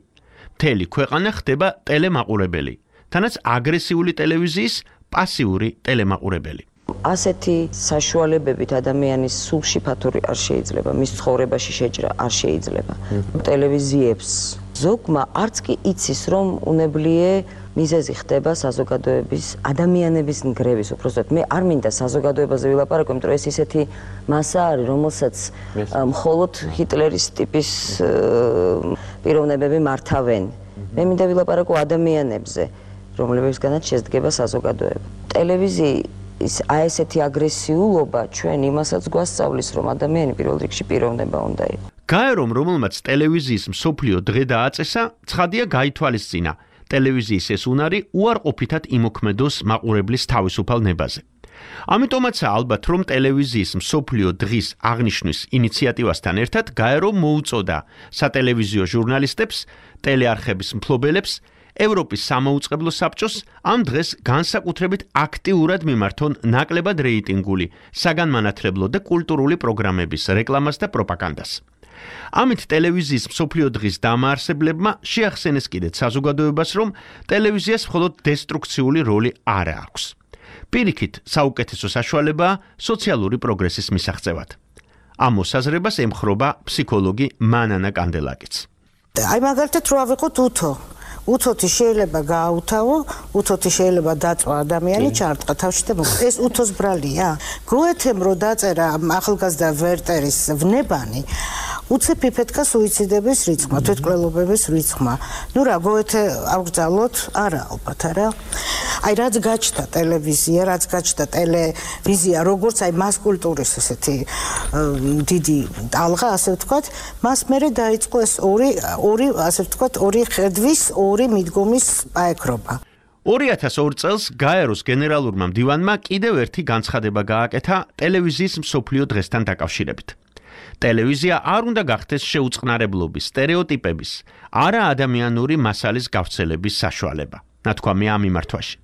მთელი ქვეყანა ხდება ტელემაყურებელი, თანაც აგრესიული ტელევიზიის პასიური ტელემაყურებელი. ასეთი საშუალებებით ადამიანის სულში ფათური არ შეიძლება, მის ცხოვრებაში შეჭრა არ შეიძლება. ტელევიზიებს ზოგმა არც კი იცის, რომ უნებლიე მიზეზი ხდება საზოგადოების ადამიანების ნგრევის, უბრალოდ მე არ მინდა საზოგადოებაზე ვილაპარაკო, იმიტომ რომ ეს ისეთი მასა არის, რომელსაც მხოლოდ ჰიტლერის ტიპის პიროვნებები მართავენ. მე მინდა ვილაპარაკო ადამიანებზე, რომლებისგანაც შედგება საზოგადოება. ტელევიზიის აი ესეთი აგრესიულობა ჩვენ იმასაც გვასწავლის, რომ ადამიანი პირველ რიგში პიროვნება უნდა იყოს. გაერომ, რომელმაც ტელევიზიის მსოფლიო დღე დააწესა, ცხადია გაითვალისწინა ტელევიზიის ეს უნარი უარყოფითად იმოქმედოს მაყურებლის თავისუფალ ნებაზე. ამიტომაცაა ალბათ, რომ ტელევიზიის მსოფლიო დღის აღნიშვნის ინიციატივასთან ერთად გაერომ მოუწოდა სატელევიზიო ჟურნალისტებს, ტელეარხების მფლობელებს, ევროპის სამაუწყებლო საბჭოს ამ დღეს განსაკუთრებით აქტიურად მიმართონ ნაკლებად რეიტინგული, საგანმანათლებლო და კულტურული პროგრამების რეკლამას და პროპაგანდას. ამით ტელევიზიის მსოფლიო დღის დამაარსებლებმა შეახსენეს კიდეც საზოგადოებას, რომ ტელევიზიას მხოლოდ დესტრუქციული როლი არ აქვს. პირიქით, საუკეთესო საშუალებაა სოციალური პროგრესის მისაღწევად. ამ მოსაზრებას ემხრობა ფსიქოლოგი მანანა კანდელაკიც. აი მაგალითად რო ავიღოთ უთო უთოთი შეიძლება გააუთავო, უთოთი შეიძლება დაწვა ადამიანი, ჩარტყა თავში და მოკლე. ეს უთოს ბრალია. გოეთემ რო დაწერა ახალგაზრდა ვერტერის ვნებანი, უცებ იფეთქა სუიციდების რიცხვმა, თვითმკვლელობების რიცხვმა. ნუ რა, გოეთე აღგზავნოთ? არა, ალბათ არა. აი რაც გაჩნდა ტელევიზია, რაც გაჩნდა ტელევიზია, როგორც აი მას კულტურის ესეთი დიდი ტალღა, ასე ვთქვათ, მას მერე დაიწყო ეს ორი ორი ასე ვთქვათ, ორი ხედვის, ორი მიდგომის პაექრობა. ორი ათას ორ წელს გაეროს გენერალურმა მდივანმა კიდევ ერთი განცხადება გააკეთა ტელევიზიის მსოფლიო დღესთან დაკავშირებით. ტელევიზია არ უნდა გახდეს შეუწყნარებლობის, სტერეოტიპების, არა ადამიანური მასალის გავრცელების საშუალება. ნათქვამი ამ მიმართვაში.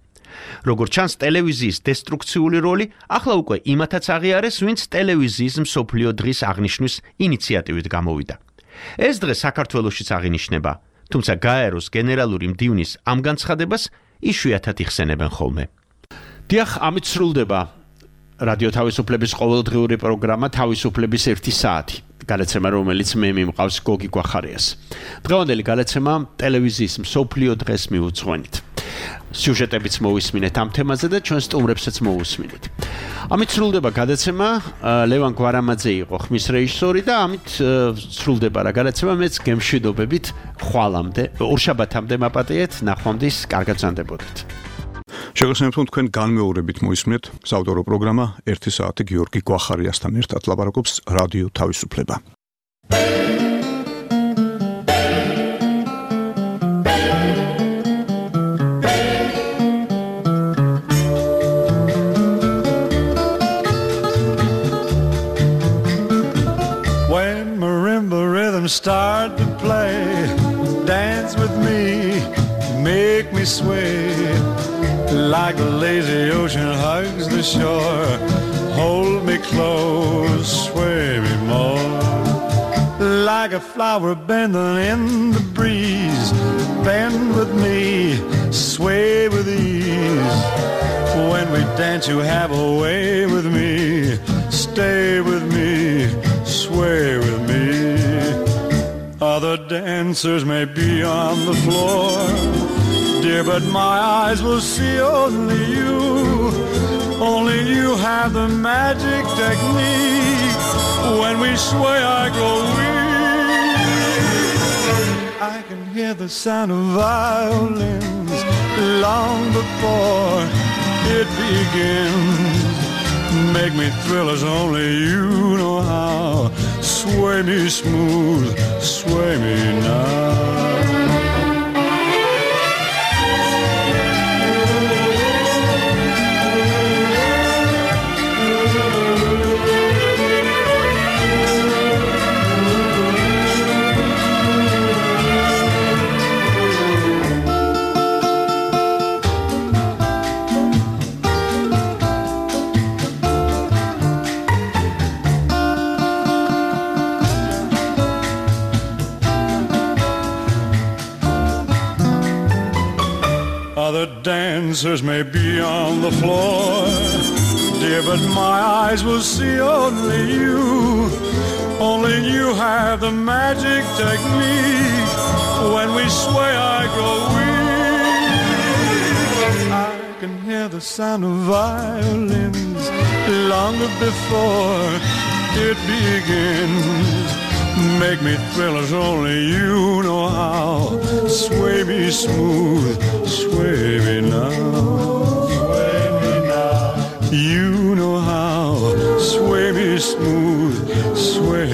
როგორც ჩანს, ტელევიზიის დესტრუქციული როლი ახლა უკვე იმათაც აღიარეს, ვინც ტელევიზიის მსოფლიო დღის აღნიშვნის ინიციატივით გამოვიდა. ეს დღე საქართველოშიც აღინიშნება, თუმცა გაეროს გენერალური მდივნის ამ განცხადებას იშვიათად იხსენებენ ხოლმე. დიახ, ამით სრულდება რადიო თავისუფლების ყოველდღიური პროგრამა თავისუფლების ერთი საათი. გადაცემა, რომელიც მე მიმყავს გოგი გვახარიას. დღევანდელი გადაცემა ტელევიზიის მსოფლიო დღეს მიუძღვენით. სიუჟეტებიც მოვისმინეთ ამ თემაზე და ჩვენ სტუმრებსაც მოვუსმინეთ. ამით სრულდება გადაცემა, ლევან გვარამაძე იყო ხმის რეჟისორი და ამით სრულდება რა გადაცემა, მეც გემშვიდობებით ხვალამდე, ორშაბათამდე მაპატიეთ, ნახვამდის, კარგად ზანდებოდეთ. შეგახსენებთ, რომ თქვენ განმეორებით მოისმინეთ საავტორო პროგრამა ერთი საათი გიორგი გვახარიასთან ერთად ლაპარაკობს რადიო თავისუფლება. When marimba rhythms start to play, dance with me, make me sway. Like the lazy ocean hugs the shore, hold me close, sway me more. Like a flower bending in the breeze, bend with me, sway with ease. When we dance you have a way with me, stay with me, sway with me. Other dancers may be on the floor, dear, but my eyes will see only you. Only you have the magic technique. When we sway, I go weak. I can hear the sound of violins long before it begins. make me thrill as only you know how. Sway me smooth, sway me now. Other dancers may be on the floor, dear, but my eyes will see only you. Only you have the magic technique. When we sway, I go weak. I can hear the sound of violins long before it begins. Make me thrill as only you know how. Sway me smooth, sway me now. Sway me now. You know how. Sway me smooth, sway